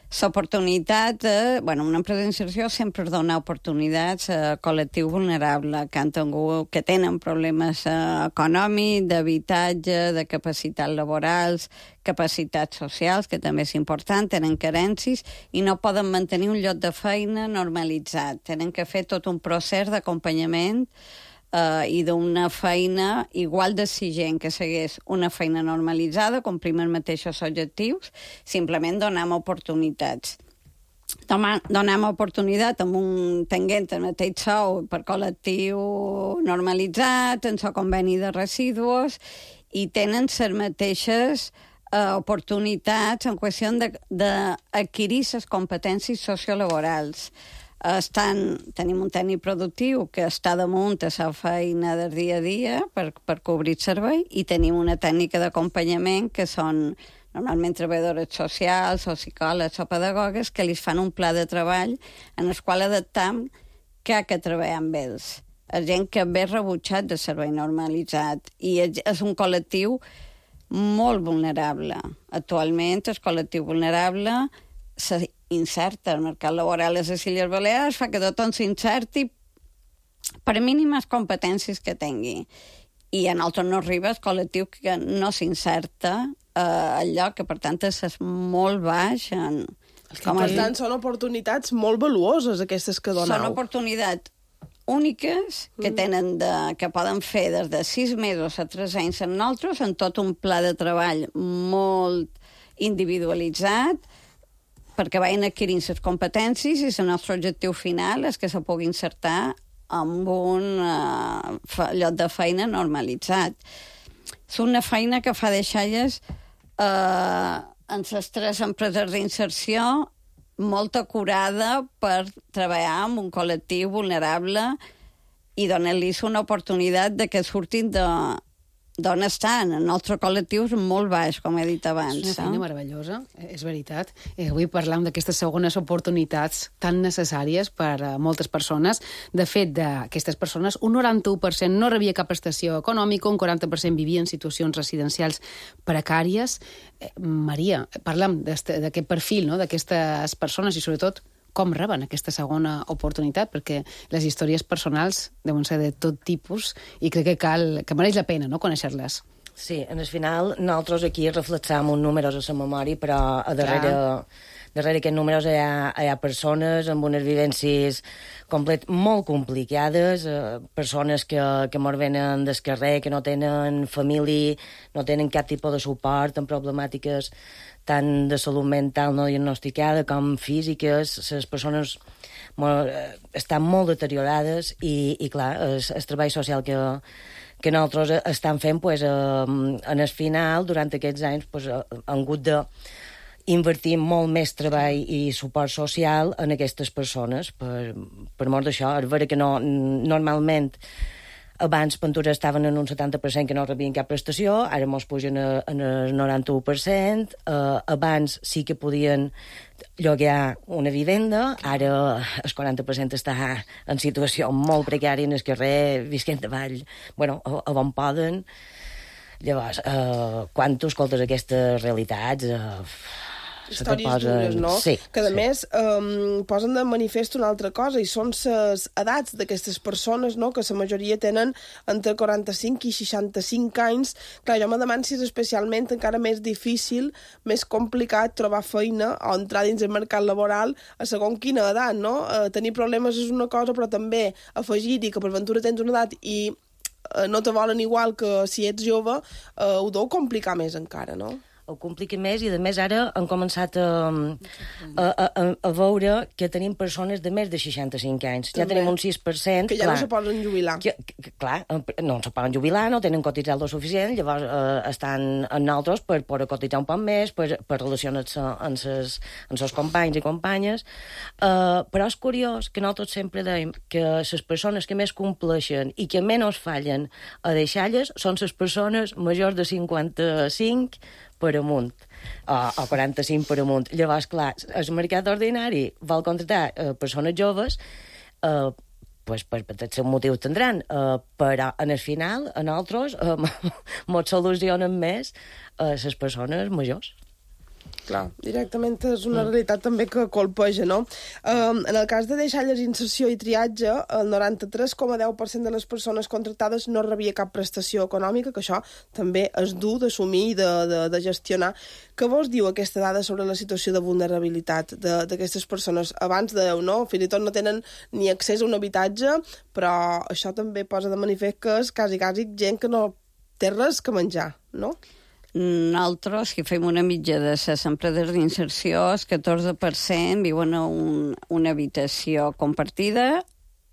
L'oportunitat, eh, bueno, una empresa d'inserció sempre dona oportunitats a col·lectiu vulnerable que han tingut, que tenen problemes eh, econòmics, d'habitatge, de capacitats laborals, capacitats socials, que també és important, tenen carències i no poden mantenir un lloc de feina normalitzat. Tenen que fer tot un procés d'acompanyament Uh, i d'una feina igual d'exigent que segueix una feina normalitzada, complim els mateixos objectius, simplement donem oportunitats. Donem oportunitat amb un tenint el mateix sou per col·lectiu normalitzat, en el conveni de residus, i tenen les mateixes uh, oportunitats en qüestió d'adquirir les competències sociolaborals. Estan, tenim un tècnic productiu que està damunt a la feina del dia a dia per, per cobrir el servei, i tenim una tècnica d'acompanyament que són normalment treballadores socials o psicòlegs o pedagogues que li fan un pla de treball en el qual adaptam què que treballar amb ells. és gent que ve rebutjat de servei normalitzat i és un col·lectiu molt vulnerable. Actualment el col·lectiu vulnerable s'inserta al mercat laboral a les Illes Balears, fa que tothom s'inserti per mínimes competències que tingui. I a nosaltres no arriba el col·lectiu que no s'inserta eh, al lloc, que per tant és molt baix. En, com per tant, són oportunitats molt valuoses aquestes que doneu. Són oportunitats úniques que tenen de, que poden fer des de sis mesos a tres anys amb nosaltres, en tot un pla de treball molt individualitzat, perquè vagin adquirint les competències i el nostre objectiu final és que se pugui insertar amb un uh, lloc de feina normalitzat. És una feina que fa deixalles uh, en les tres empreses d'inserció molt acurada per treballar amb un col·lectiu vulnerable i donar-los una oportunitat de que surtin de d'on estan. El nostre col·lectiu és molt baix, com he dit abans. És una feina eh? meravellosa, és veritat. Eh, avui parlam d'aquestes segones oportunitats tan necessàries per a moltes persones. De fet, d'aquestes persones, un noranta-u per cent no rebia cap prestació econòmica, un quaranta per cent vivia en situacions residencials precàries. Eh, Maria, parlam d'aquest perfil, no?, d'aquestes persones i, sobretot, com reben aquesta segona oportunitat, perquè les històries personals deuen ser de tot tipus i crec que cal, que mereix la pena, no?, conèixer-les. Sí, en el final nosaltres aquí reflexam uns números a la memòria, però a darrere, darrere aquests números hi ha, hi ha persones amb unes vivències complet, molt complicades, eh, persones que, que mos venen del carrer, que no tenen família, no tenen cap tipus de suport, amb problemàtiques tant de salut mental no diagnosticada com físiques. Les persones molt, estan molt deteriorades i, i clar, el, el treball social que, que nosaltres estem fent, pues, eh, en el final, durant aquests anys, pues, han hagut de invertir molt més treball i suport social en aquestes persones, per, per mort d'això. És vera que no, normalment abans Ventura estaven en un setanta per cent que no rebien cap prestació, ara mos pugen en el noranta-u per cent, uh, abans sí que podien lloguer una vivenda, ara el quaranta per cent està en situació molt precària en el carrer, visquent avall, bueno, a, a on poden. Llavors, uh, quan tu escoltes aquestes realitats... Uh, històries posen... dures, no? Sí, que, a sí. més, um, posen de manifest una altra cosa, i són les edats d'aquestes persones, no?, que la majoria tenen entre quaranta-cinc i seixanta-cinc anys. Clar, jo me demano si és especialment encara més difícil, més complicat trobar feina o entrar dins el mercat laboral a segon quina edat, no? Uh, tenir problemes és una cosa, però també afegir-hi que per ventura tens una edat i uh, no te volen igual que si ets jove, uh, ho deu complicar més encara, no? Ho complica més i, a més, ara han començat a, a, a, a veure que tenim persones de més de seixanta-cinc anys. També. Ja tenim un sis per cent... Que ja clar, no se poden jubilar. Que, que, clar, no se poden jubilar, no tenen cotitzat lo suficient, llavors eh, estan en nosaltres per poder cotitzar un poc més, per, per relacionar-se amb ses, amb ses companys i companyes. Uh, però és curiós que nosaltres sempre dèiem que les persones que més compleixen i que menys fallen a deixar-les són les persones majors de cinquanta-cinc per amunt, o, o quaranta-cinc per amunt. Llavors, clar, el mercat ordinari vol contractar eh, persones joves, eh, pues, per, per tots els motius tindran, eh, però en el final, a nosaltres, eh, mos solucionen més eh, les persones majors. Clar, directament és una realitat també que colpeja, no? Um, en el cas de deixalles, inserció i triatge, el noranta-tres coma deu per cent de les persones contractades no rebia cap prestació econòmica, que això també és dur d'assumir i de, de, de gestionar. Què vos diu aquesta dada sobre la situació de vulnerabilitat d'aquestes persones? Abans dèieu, no? Fins i tot no tenen ni accés a un habitatge, però això també posa de manifest que és quasi, quasi gent que no té res que menjar, no? Nosaltres, que fem una mitja de les empreses d'inserció, el catorze per cent viuen a un, una habitació compartida,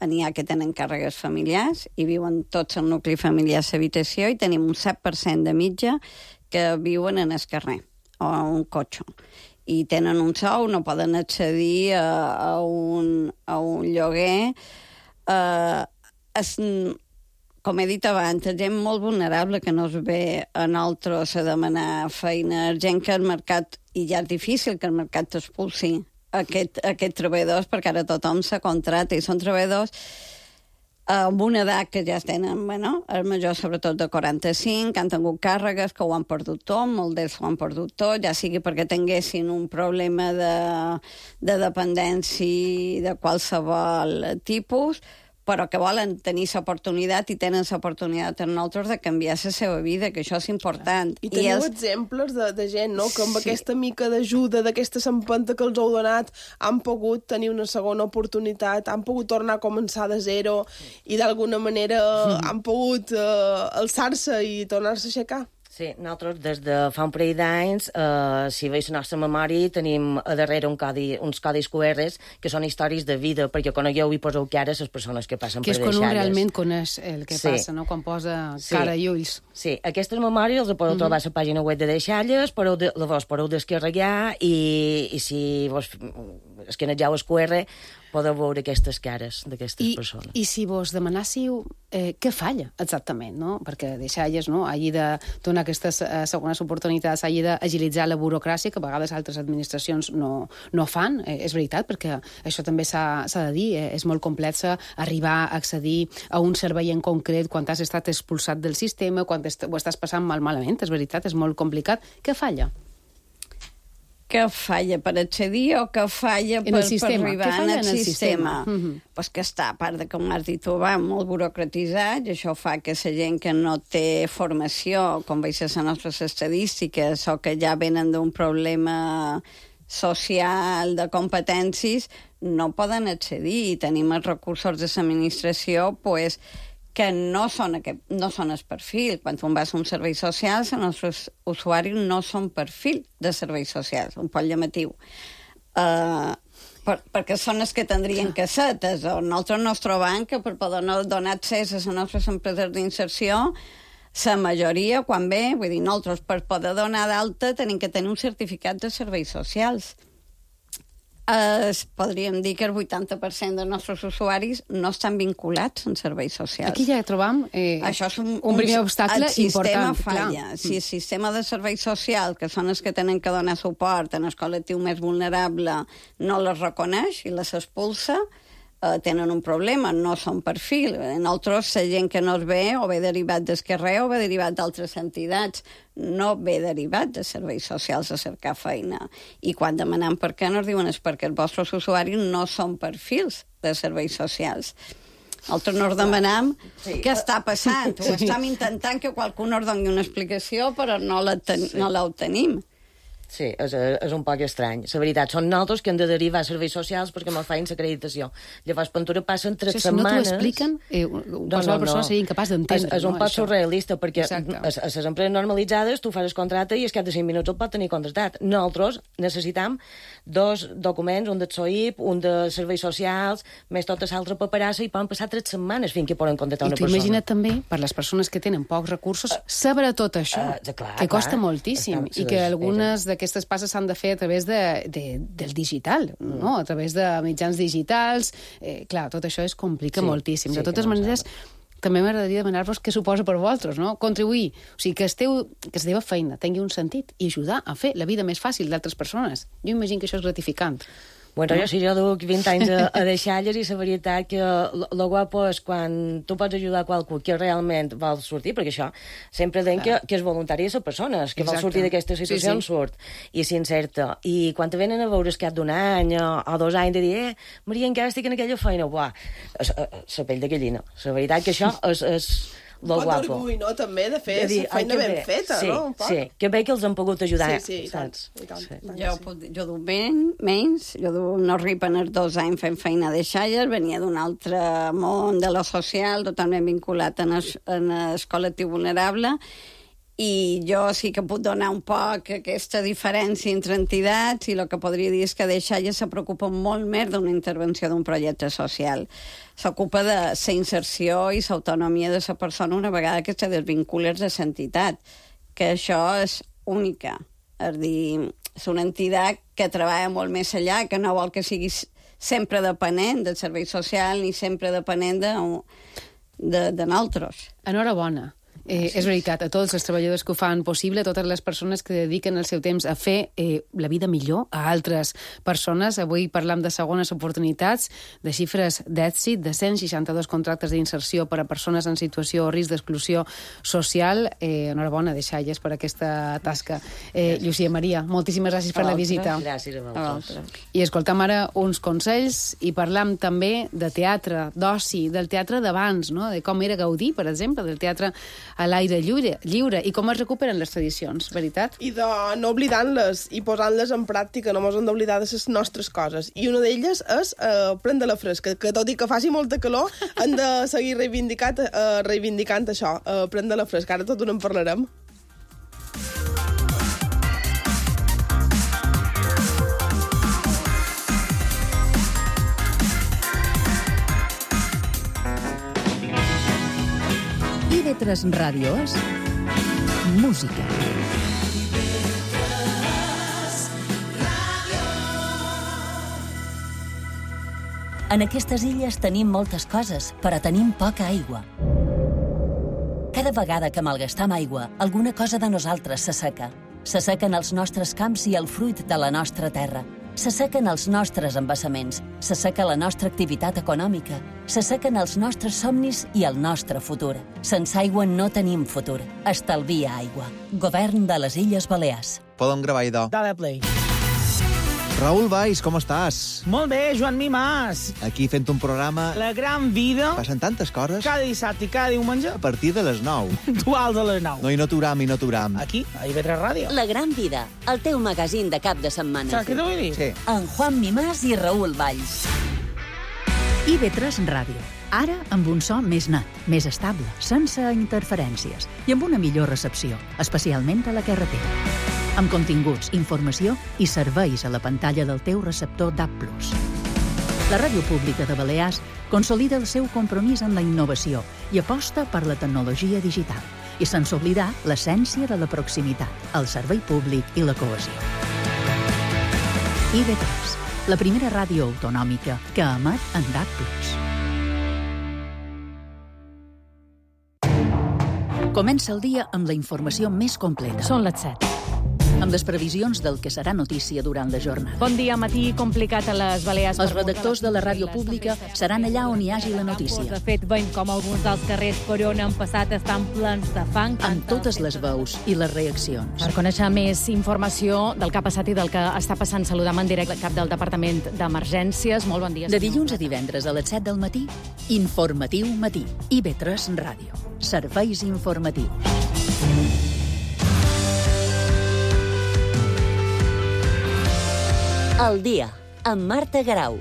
n'hi ha que tenen càrregues familiars i viuen tots el nucli familiar a l'habitació, i tenim un set per cent de mitja que viuen en el carrer o a un cotxe. I tenen un sou, no poden accedir a, a, un, a un lloguer. Eh, es, com he dit abans, gent molt vulnerable que no es ve a nosaltres a demanar feina, gent que el mercat, i ja és difícil que el mercat t'expulsi aquest, aquest treballadors, perquè ara tothom se contracta i són treballadors amb una edat que ja tenen, bueno, els majors sobretot de quaranta-cinc, que han tingut càrregues, que ho han perdut tot, molts d'ells ho han perdut tot, ja sigui perquè tinguessin un problema de, de dependència de qualsevol tipus, però que volen tenir l'oportunitat i tenen l'oportunitat en nosaltres de canviar la seva vida, que això és important. I teniu I els... exemples de, de gent, no?, que amb sí. aquesta mica d'ajuda, d'aquesta empenta que els heu donat, han pogut tenir una segona oportunitat, han pogut tornar a començar de zero i d'alguna manera mm. han pogut uh, alçar-se i tornar-se a aixecar. Sí, nosaltres des de fa un parell d'anys, eh, si veus la nostra memòria, tenim a darrere un codi, uns codis Q Rs que són històries de vida, perquè conegueu i poseu cara a les persones que passen que per deixalles. Que és quan un realment coneix el que sí. passa, no? Quan posa sí. cara i ulls. Sí, aquestes memòries les podeu mm -hmm. trobar a la pàgina web de deixalles, podeu de, llavors podeu descarregar i, i si vos escanegeu el Q R podeu veure aquestes cares d'aquestes persones. I si vos demanássiu eh, què falla exactament, no? Perquè deixalles, no?, hagi de donar aquestes eh, segones oportunitats, hagi d'agilitzar la burocràcia, que a vegades altres administracions no, no fan, eh, és veritat, perquè això també s'ha de dir, eh, és molt complex arribar a accedir a un servei en concret quan has estat expulsat del sistema, quan est ho estàs passant mal malament, és veritat, és molt complicat. Què falla? Que falla per accedir o que falla per, per arribar en el, en el sistema? sistema? Mm-hmm. Pues que està, a part de, com has dit, ho va molt burocratitzat, i això fa que la gent que no té formació, com veig a les nostres estadístiques, o que ja venen d'un problema social de competències, no poden accedir, i tenim els recursos de l'administració, pues, que no són, aquest, no són el perfil. Quan tu vas a un servei social, els nostres usuaris no són perfil de serveis socials, un poc llamatiu. Uh, per, perquè són els que tindrien que ser. Nosaltres no ens trobem que per poder donar accés a les nostres empreses d'inserció, la majoria, quan ve, vull dir, nosaltres per poder donar d'alta tenim que tenir un certificat de serveis socials. Es, podríem dir que el vuitanta per cent dels nostres usuaris no estan vinculats en serveis socials. Aquí ja trobam eh, Això és un, un primer obstacle important. El sistema falla. Clar. Si el sistema de serveis socials, que són els que tenen que donar suport en el col·lectiu més vulnerable, no les reconeix i les expulsa, eh, tenen un problema, no són perfil. Nosaltres, la gent que no es ve, o ve derivat del carrer o ve derivat d'altres entitats, no ve derivat de serveis socials a cercar feina. I quan demanem per què, no ens diuen és perquè els vostres usuaris no són perfils de serveis socials. Nosaltres no ens demanem sí. què està passant. Ho estem intentant que qualcú ens doni una explicació, però no la ten sí. no l'obtenim. Sí, és, és un poc estrany. La veritat, són nosaltres que hem de derivar a serveis socials perquè ens feien l'acreditació. Llavors, Pentura passen tres sí, setmanes... Si no t'ho expliquen, eh, qualsevol no, no, no. persona seria incapaç d'entendre. És, és un no, poc això. surrealista, perquè Exacte. a les empreses normalitzades tu fas el contracte i es cap de cinc minuts el pot tenir contractat. Nosaltres necessitam dos documents, un del S O I P, un de serveis socials, més tota l'altra paperassa, i poden passar tres setmanes fins que poden contractar una persona. I tu imagina't també, per les persones que tenen pocs recursos, saber tot això, uh, clar, que costa clar. moltíssim, Estan, i que algunes d'aquestes passes s'han de fer a través de, de, del digital, mm. no? A través de mitjans digitals. Eh, clar, tot això es complica sí, moltíssim. Sí, de totes maneres, no també m'agradaria demanar-vos què suposa per vosaltres, no? Contribuir, o sigui, que, esteu, que la teva feina tingui un sentit i ajudar a fer la vida més fàcil d'altres persones. Jo imagino que això és gratificant. Bueno, no? jo sí, jo duc vint anys a, a deixalles i la veritat que lo guapo és quan tu pots ajudar a qualcú que realment vol sortir, perquè això sempre deien que, que és voluntari de la persona, que vol sortir d'aquesta situació sí, sí. surt, i s'incerta. I quan te venen a veure el cap d'un any o, o dos anys de dir, eh, Maria, encara estic en aquella feina, buah, la pell de gallina. La veritat que això és... és un pot d'orgull, no?, també, de fer de dir, feina ben bé. feta, sí, no? Sí, que bé que els han pogut ajudar. Sí, sí, i tant. I tant, sí. tant jo, sí. jo duc ben, menys, jo duc no ripen els dos anys fent feina de xalles, venia d'un altre món de lo social, totalment vinculat en el, en el col·lectiu vulnerable, i jo sí que puc donar un poc aquesta diferència entre entitats, i el que podria dir és que Deixalles se preocupa molt més d'una intervenció d'un projecte social. S'ocupa de la inserció i l'autonomia de la persona una vegada que se desvincula de l'entitat, que això és única. És dir, és una entitat que treballa molt més allà, que no vol que sigui sempre depenent del servei social ni sempre depenent de, de, de nosaltres. Enhorabona. Eh, és veritat, a tots els treballadors que ho fan possible, a totes les persones que dediquen el seu temps a fer eh, la vida millor a altres persones. Avui parlam de segones oportunitats, de xifres d'èxit, de cent seixanta-dos contractes d'inserció per a persones en situació o risc d'exclusió social. Eh, enhorabona de Xalles per aquesta tasca. Eh, Llucia Maria, moltíssimes gràcies per la visita. Gràcies a vosaltres. I escoltam ara uns consells i parlam també de teatre, d'oci, del teatre d'abans, no? De com era Gaudí, per exemple, del teatre a l'aire lliure, lliure i com es recuperen les tradicions, veritat? I de no oblidant-les i posant-les en pràctica, no mos hem d'oblidar de les nostres coses. I una d'elles és eh, prendre la fresca, que tot i que faci molta calor, hem de seguir reivindicant, eh, reivindicant això, eh, prendre la fresca. Ara tot ho en parlarem. I ve tres Ràdio és música. En aquestes illes tenim moltes coses, però tenim poca aigua. Cada vegada que malgastam aigua, alguna cosa de nosaltres s'asseca. S'assequen els nostres camps i el fruit de la nostra terra. S'assequen els nostres embassaments, s'asseca la nostra activitat econòmica, s'assequen els nostres somnis i el nostre futur. Sense aigua no tenim futur. Estalvia aigua. Govern de les Illes Balears. Podem gravar, idò. Dale play. Raül Valls, com estàs? Molt bé, Joan Mimàs. Aquí fent un programa... La gran vida. Passen tantes coses. Cada dissabte i cada diumenge. A partir de les nou. Duals a les nou. No, i no t'uram, i no t'uram. Aquí, a I V tres Ràdio. La gran vida, el teu magazín de cap de setmana. Saps què t'ho vull dir? Sí. En Juan Mimàs i Raül Valls. I V tres Ràdio. Ara amb un so més net, més estable, sense interferències i amb una millor recepció, especialment a la carretera. Amb continguts, informació i serveis a la pantalla del teu receptor D A B plus. La Ràdio Pública de Balears consolida el seu compromís en la innovació i aposta per la tecnologia digital, i sense oblidar l'essència de la proximitat, el servei públic i la cohesió. I V tres, la primera ràdio autonòmica que emet en D A B plus. Comença el dia amb la informació més completa. Són les set. Amb les previsions del que serà notícia durant la jornada. Bon dia, matí complicat a les Balears. Els redactors de la ràdio pública seran allà on hi hagi la notícia. De fet, veiem com alguns dels carrers per on han passat estan plens de fang. Amb totes les veus i les reaccions. Per conèixer més informació del que ha passat i del que està passant, saludam en directe el cap del Departament d'Emergències. Molt bon dia. De dilluns a divendres a les set del matí, Informatiu Matí. I V tres Ràdio. Serveis informatius. El dia, amb Marta Garau.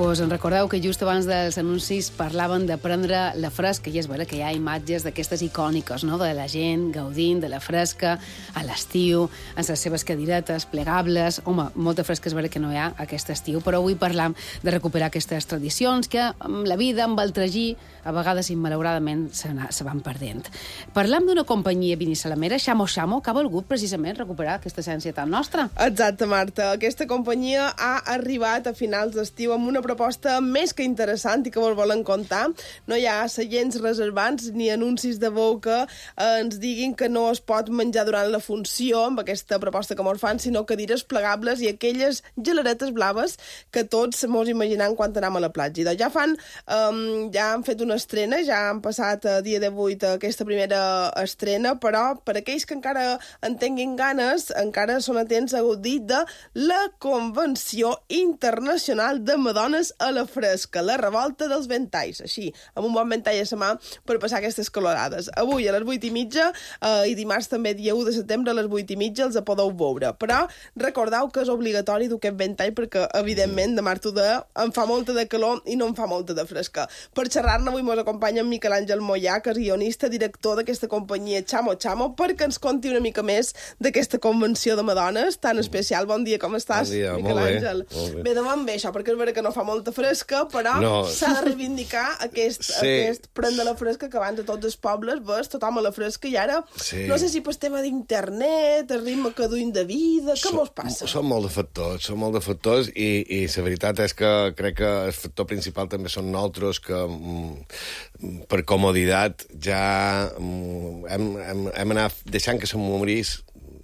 Vos en recordeu que just abans dels anuncis parlaven de prendre la fresca, i és vera que hi ha imatges d'aquestes icòniques, no?, de la gent gaudint de la fresca a l'estiu, en les seves cadiretes plegables. Home, molta fresca és vera que no hi ha aquest estiu, però avui parlam de recuperar aquestes tradicions que amb la vida, amb el tragí, a vegades immalauradament se, se van perdent. Parlam d'una companyia vinissalamera, Xamo Xamo, que ha volgut precisament recuperar aquesta essència tan nostra. Exacte, Marta. Aquesta companyia ha arribat a finals d'estiu amb una proposta més que interessant i que vos volen contar. No hi ha seients reservants ni anuncis de veu que eh, ens diguin que no es pot menjar durant la funció amb aquesta proposta que mos fan, sinó cadires plegables i aquelles gelaretes blaves que tots mos imaginem quan anem a la platja. Doncs ja fan, um, ja han fet una estrena, ja han passat a dia divuit aquesta primera estrena, però per aquells que encara en tinguin ganes, encara són atents a gaudir de la Convenció Internacional de Madones a la Fresca, la revolta dels ventalls, així, amb un bon ventall a la mà per passar aquestes calorades. Avui a les vuit i mitja eh, i dimarts també dia u de setembre a les vuit i mitja els podeu veure, però recordeu que és obligatori dur aquest ventall perquè, evidentment, de març de em fa molta de calor i no em fa molta de fresca. Per xerrar-ne avui mos acompanya en Miquel Àngel Mollà, que és guionista, director d'aquesta companyia Xamo Xamo, perquè ens conti una mica més d'aquesta convenció de Madones tan especial. Bon dia, com estàs, bon dia, Miquel molt bé, Àngel? molt bé. Bé, demà bé això, perquè és vera que no fa molt molta fresca, però no. s'ha de reivindicar aquest, sí. aquest prendre la fresca que abans a tots els pobles ves tothom a la fresca i ara sí. no sé si per tema d'internet, el ritme que duim de vida, què mos passa? Són molt de factors, són molt de factors i, i la veritat és que crec que el factor principal també són nosaltres que mm, per comoditat ja mm, hem, hem, hem anat deixant que se morís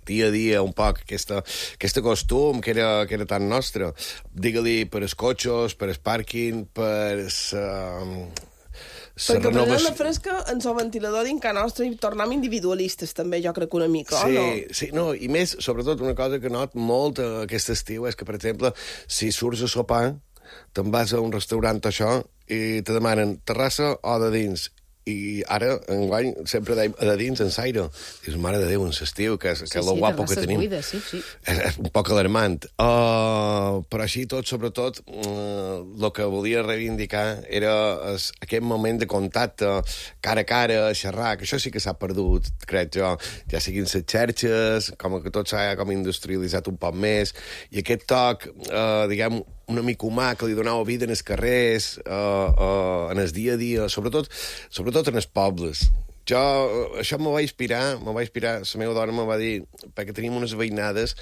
dia a dia un poc aquesta, aquesta costum que era, que era tan nostre. Digue-li per els cotxes, per el pàrquing, per... Uh, Perquè prenent la fresca en el ventilador dins casa nostra i tornem individualistes també, jo crec que una mica, sí, o no? Sí, no, i més, sobretot, una cosa que not molt aquest estiu és que, per exemple, si surts a sopar, te'n vas a un restaurant o això i te demanen terrassa o de dins. I ara, enguany, sempre deim de dins en saire. Dius, mare de Déu, en l'estiu, que és, sí, que és lo sí, guapo que tenim. Buides, sí, sí. És, és un poc alarmant. Uh, però així tot, sobretot, el uh, que volia reivindicar era es, aquest moment de contacte cara a cara, a xerrar, que això sí que s'ha perdut, crec jo. Ja siguin les xarxes, com que tot s'ha com industrialitzat un poc més, i aquest toc, uh, diguem, una mica humà que li donava vida en els carrers, uh, uh, en el dia a dia, sobretot, sobretot en els pobles. Jo, això me va inspirar, me va inspirar, la meva dona me va dir, perquè tenim unes veïnades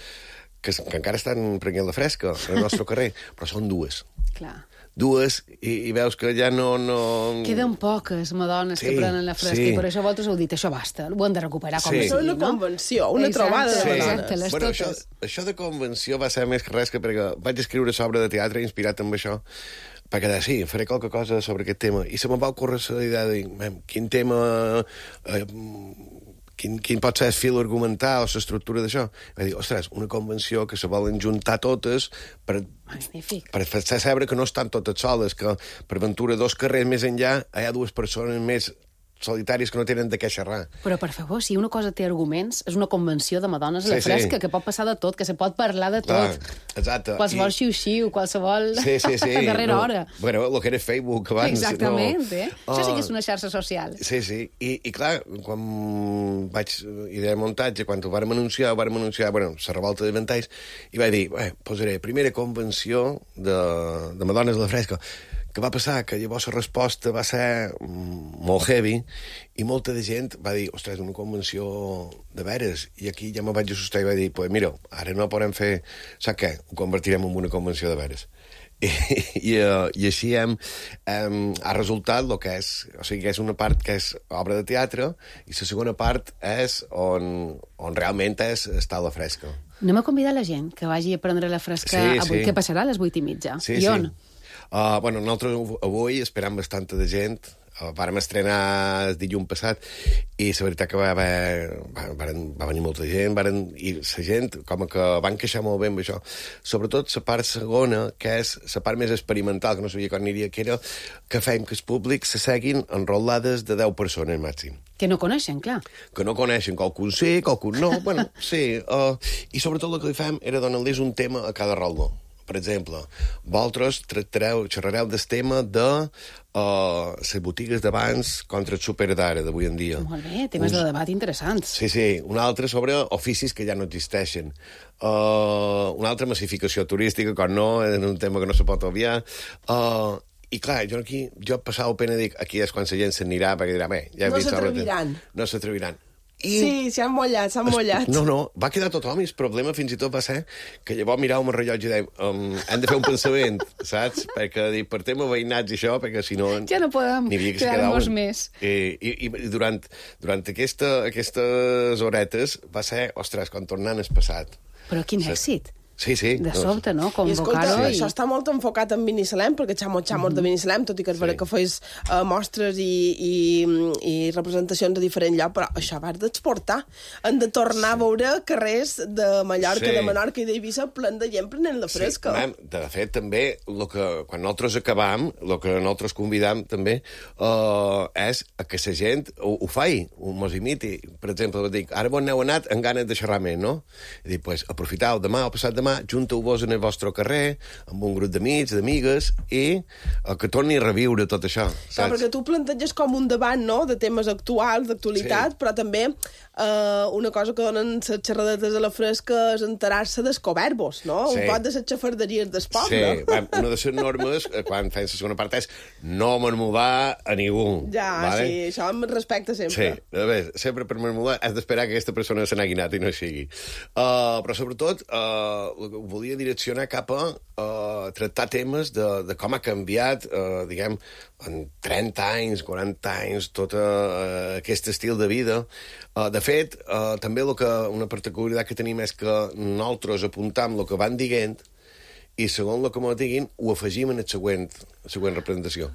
que, que encara estan prenent la fresca al nostre carrer, però són dues. Clar. Dues, i, i veus que ja no... no... Queden poques madones sí, que prenen la fresca, sí. i per això vosaltres heu dit, això basta, ho hem de recuperar com sí. a sigui, una no? convenció, una exacte, trobada de sí. Exacte, les bueno, totes. Això, això de convenció va ser més que res que perquè vaig escriure sobre de teatre inspirat amb això, perquè de, sí, faré qualque cosa sobre aquest tema, i se me va ocórrer la idea de dir, quin tema... Eh, Quin, quin pot ser el fil argumental o l'estructura d'això? Va dir, ostres, una convenció que se volen juntar totes per, per fer saber que no estan totes soles, que per ventura dos carrers més enllà hi ha dues persones més solitaris que no tenen de què xerrar. Però, per favor, si una cosa té arguments, és una convenció de madones a la sí, fresca, sí. que pot passar de tot, que se pot parlar de tot. Clar, exacte. Qualsevol I... xiu-xiu, qualsevol... Sí, sí, sí. a darrera no. hora. Bueno, el que era Facebook abans. Exactament, no. eh? Oh. Això sí que és una xarxa social. Sí, sí. I, i clar, quan vaig idea de muntatge, quan ho vàrem anunciar, ho vàrem anunciar, bueno, la revolta de ventalls, i vaig dir, bé, posaré primera convenció de, de madones a la fresca. Què va passar? Que llavors la resposta va ser molt heavy i molta de gent va dir, ostres, una convenció de veres. I aquí ja me vaig assustar i vaig dir, pues mira, ara no podem fer... Saps què? Ho convertirem en una convenció de veres. I, i, uh, i així hem, hem, ha resultat el que és, o sigui, que és una part que és obra de teatre i la segona part és on, on realment és estar a la fresca. Anem a convidar la gent que vagi a prendre la fresca sí, avui, sí. que passarà a les vuit i mitja. Sí, I on? Sí. Uh, bueno, nosaltres avui esperam bastanta de gent. Uh, vàrem estrenar el dilluns passat i la veritat que va, haver, va, varen, va venir molta gent, varen, i la gent com que van queixar molt bé amb això. Sobretot la part segona, que és la part més experimental, que no sabia quan aniria, que era que fèiem que els públics se seguin enrolades de deu persones màxim. Que no coneixen, clar. Que no coneixen, qualcun sí, qualcun no, bueno, sí. Uh, I sobretot el que li fem era donar-los un tema a cada roldó. Per exemple, vosaltres tractareu, xerrareu del tema de uh, les botigues d'abans contra el súper d'ara, d'avui en dia. Molt bé, temes un... de debat interessants. Sí, sí. Un altre sobre oficis que ja no existeixen. Uh, una altra massificació turística, com no, és un tema que no se pot obviar. Uh, I clar, jo aquí, jo passava pena dic, aquí és quan la gent s'anirà, perquè dirà, bé, ja he no vist... s'atreviran. No s'atreviran. I... Sí, s'han mullat, s'han mullat. No, no, va quedar tothom i el problema fins i tot va ser que llavors miràvem el rellotge i dèiem um, hem de fer un pensament, saps? Perquè dir, per tema veïnats i això, perquè si no... Ja no podem quedar-nos més. I, i, i durant, durant aquesta, aquestes horetes va ser, ostres, quan tornant el passat. Però quin èxit. Sí, sí. De sobte, no? I escolta, i... això està molt enfocat en Binissalem, perquè xamos, xamos mm-hmm. de Binissalem, tot i que és sí. vera que feis uh, mostres i, i, i representacions a diferent lloc, però això va d'exportar. Han de tornar sí. a veure carrers de Mallorca, sí. de Menorca i d'Eivissa plen de gent prenent la fresca. Sí. Mam, de fet, també, lo que, quan nosaltres acabam, el que nosaltres convidam també uh, és a que la gent ho, ho faci, ho mos imiti. Per exemple, dic, ara vos n'heu anat amb ganes de xerrar més, no? I dic, pues, aprofitau demà o passat demà l'endemà junteu-vos en el vostre carrer, amb un grup d'amics, d'amigues, i uh, que torni a reviure tot això. Clar, perquè tu planteges com un debat, no?, de temes actuals, d'actualitat, sí. Però també eh, una cosa que donen les xerradetes a la fresca és enterar-se dels coverbos, no? Sí. Un pot de les xafarderies del poble. Sí, va, una de les normes, quan fem la segona part, és no marmudar a ningú. Ja, vale? Sí, això em respecta sempre. Sí, a veure, sempre per marmudar has d'esperar que aquesta persona se n'hagi anat i no sigui. Uh, però sobretot uh, volia direccionar cap a uh, tractar temes de, de com ha canviat, uh, diguem, en trenta anys, quaranta anys, tot uh, aquest estil de vida. Uh, de fet, uh, també lo que, una particularitat que tenim és que nosaltres apuntam el que van dient i segons el que ens diguin ho afegim en el següent, la següent representació.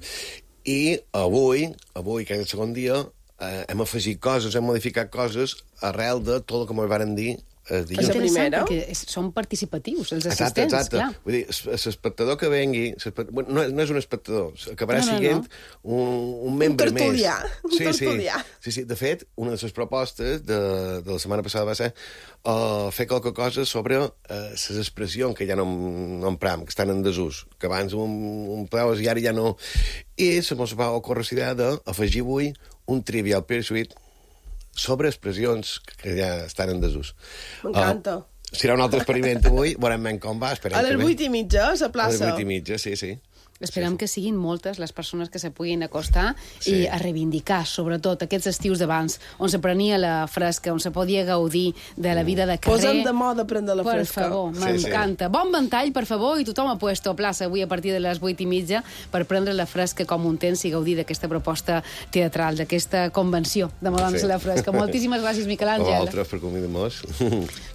I avui, avui que és el segon dia, eh, hem afegit coses, hem modificat coses arrel de tot el que ens van dir eh, dilluns. És interessant, perquè són participatius, els assistents, exacte, exacte. Clar. Vull dir, l'espectador que vengui, bueno, no, no és un espectador, acabarà no, no, siguent no. Un, un membre un tertulià, més. Un sí, tertulià. Sí, sí, sí, de fet, una de les propostes de, de la setmana passada va ser uh, fer qualque cosa sobre les uh, expressions que ja no, no empram, que estan en desús, que abans un, un pleus i ara ja no. I se mos va ocórrer la idea d'afegir avui un Trivial Pursuit sobre expressions que ja estan en desús. M'encanta. Uh, serà un altre experiment avui, veurem com va. A les vuit i mitja, a la plaça. A les vuit i mitja, sí, sí. Esperem sí, sí. que siguin moltes les persones que se puguin acostar sí. i a reivindicar, sobretot, aquests estius d'abans, on se prenia la fresca, on se podia gaudir de la vida de carrer. Posem de moda prendre la per fresca. Per favor, m'encanta. Sí, sí. Bon ventall, per favor, i tothom ha puesto a plaça avui a partir de les vuit i mitja per prendre la fresca com un temps i gaudir d'aquesta proposta teatral, d'aquesta convenció de Madons sí. la Fresca. Moltíssimes gràcies, Miquel Àngel. A vosaltres per convidar-nos.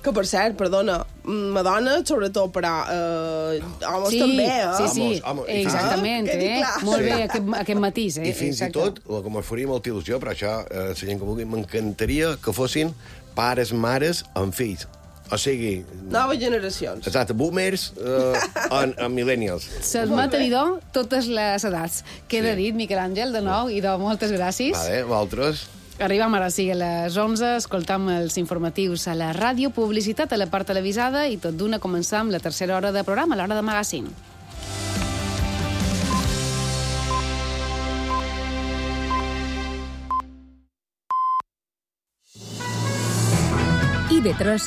Que, per cert, perdona, Madonna, sobretot, però eh, homes sí, també, eh? Sí, sí, homes, homes. Exactament, ah, eh? Molt bé, aquest, aquest matís, eh? I fins Exacte. I tot, el que m'ho faria molta il·lusió, però això, eh, la gent que vulgui, m'encantaria que fossin pares, mares amb fills. O sigui... Noves generacions. Exacte, boomers eh, en, en millennials. S'admet a dir totes les edats. Queda sí. dit, Miquel Àngel, de nou, i de moltes gràcies. Vale, vosaltres... Arribam ara sí a les onze, escoltam els informatius a la ràdio, publicitat a la part televisada i tot d'una començam la tercera hora de programa, l'hora de magazine. I V tres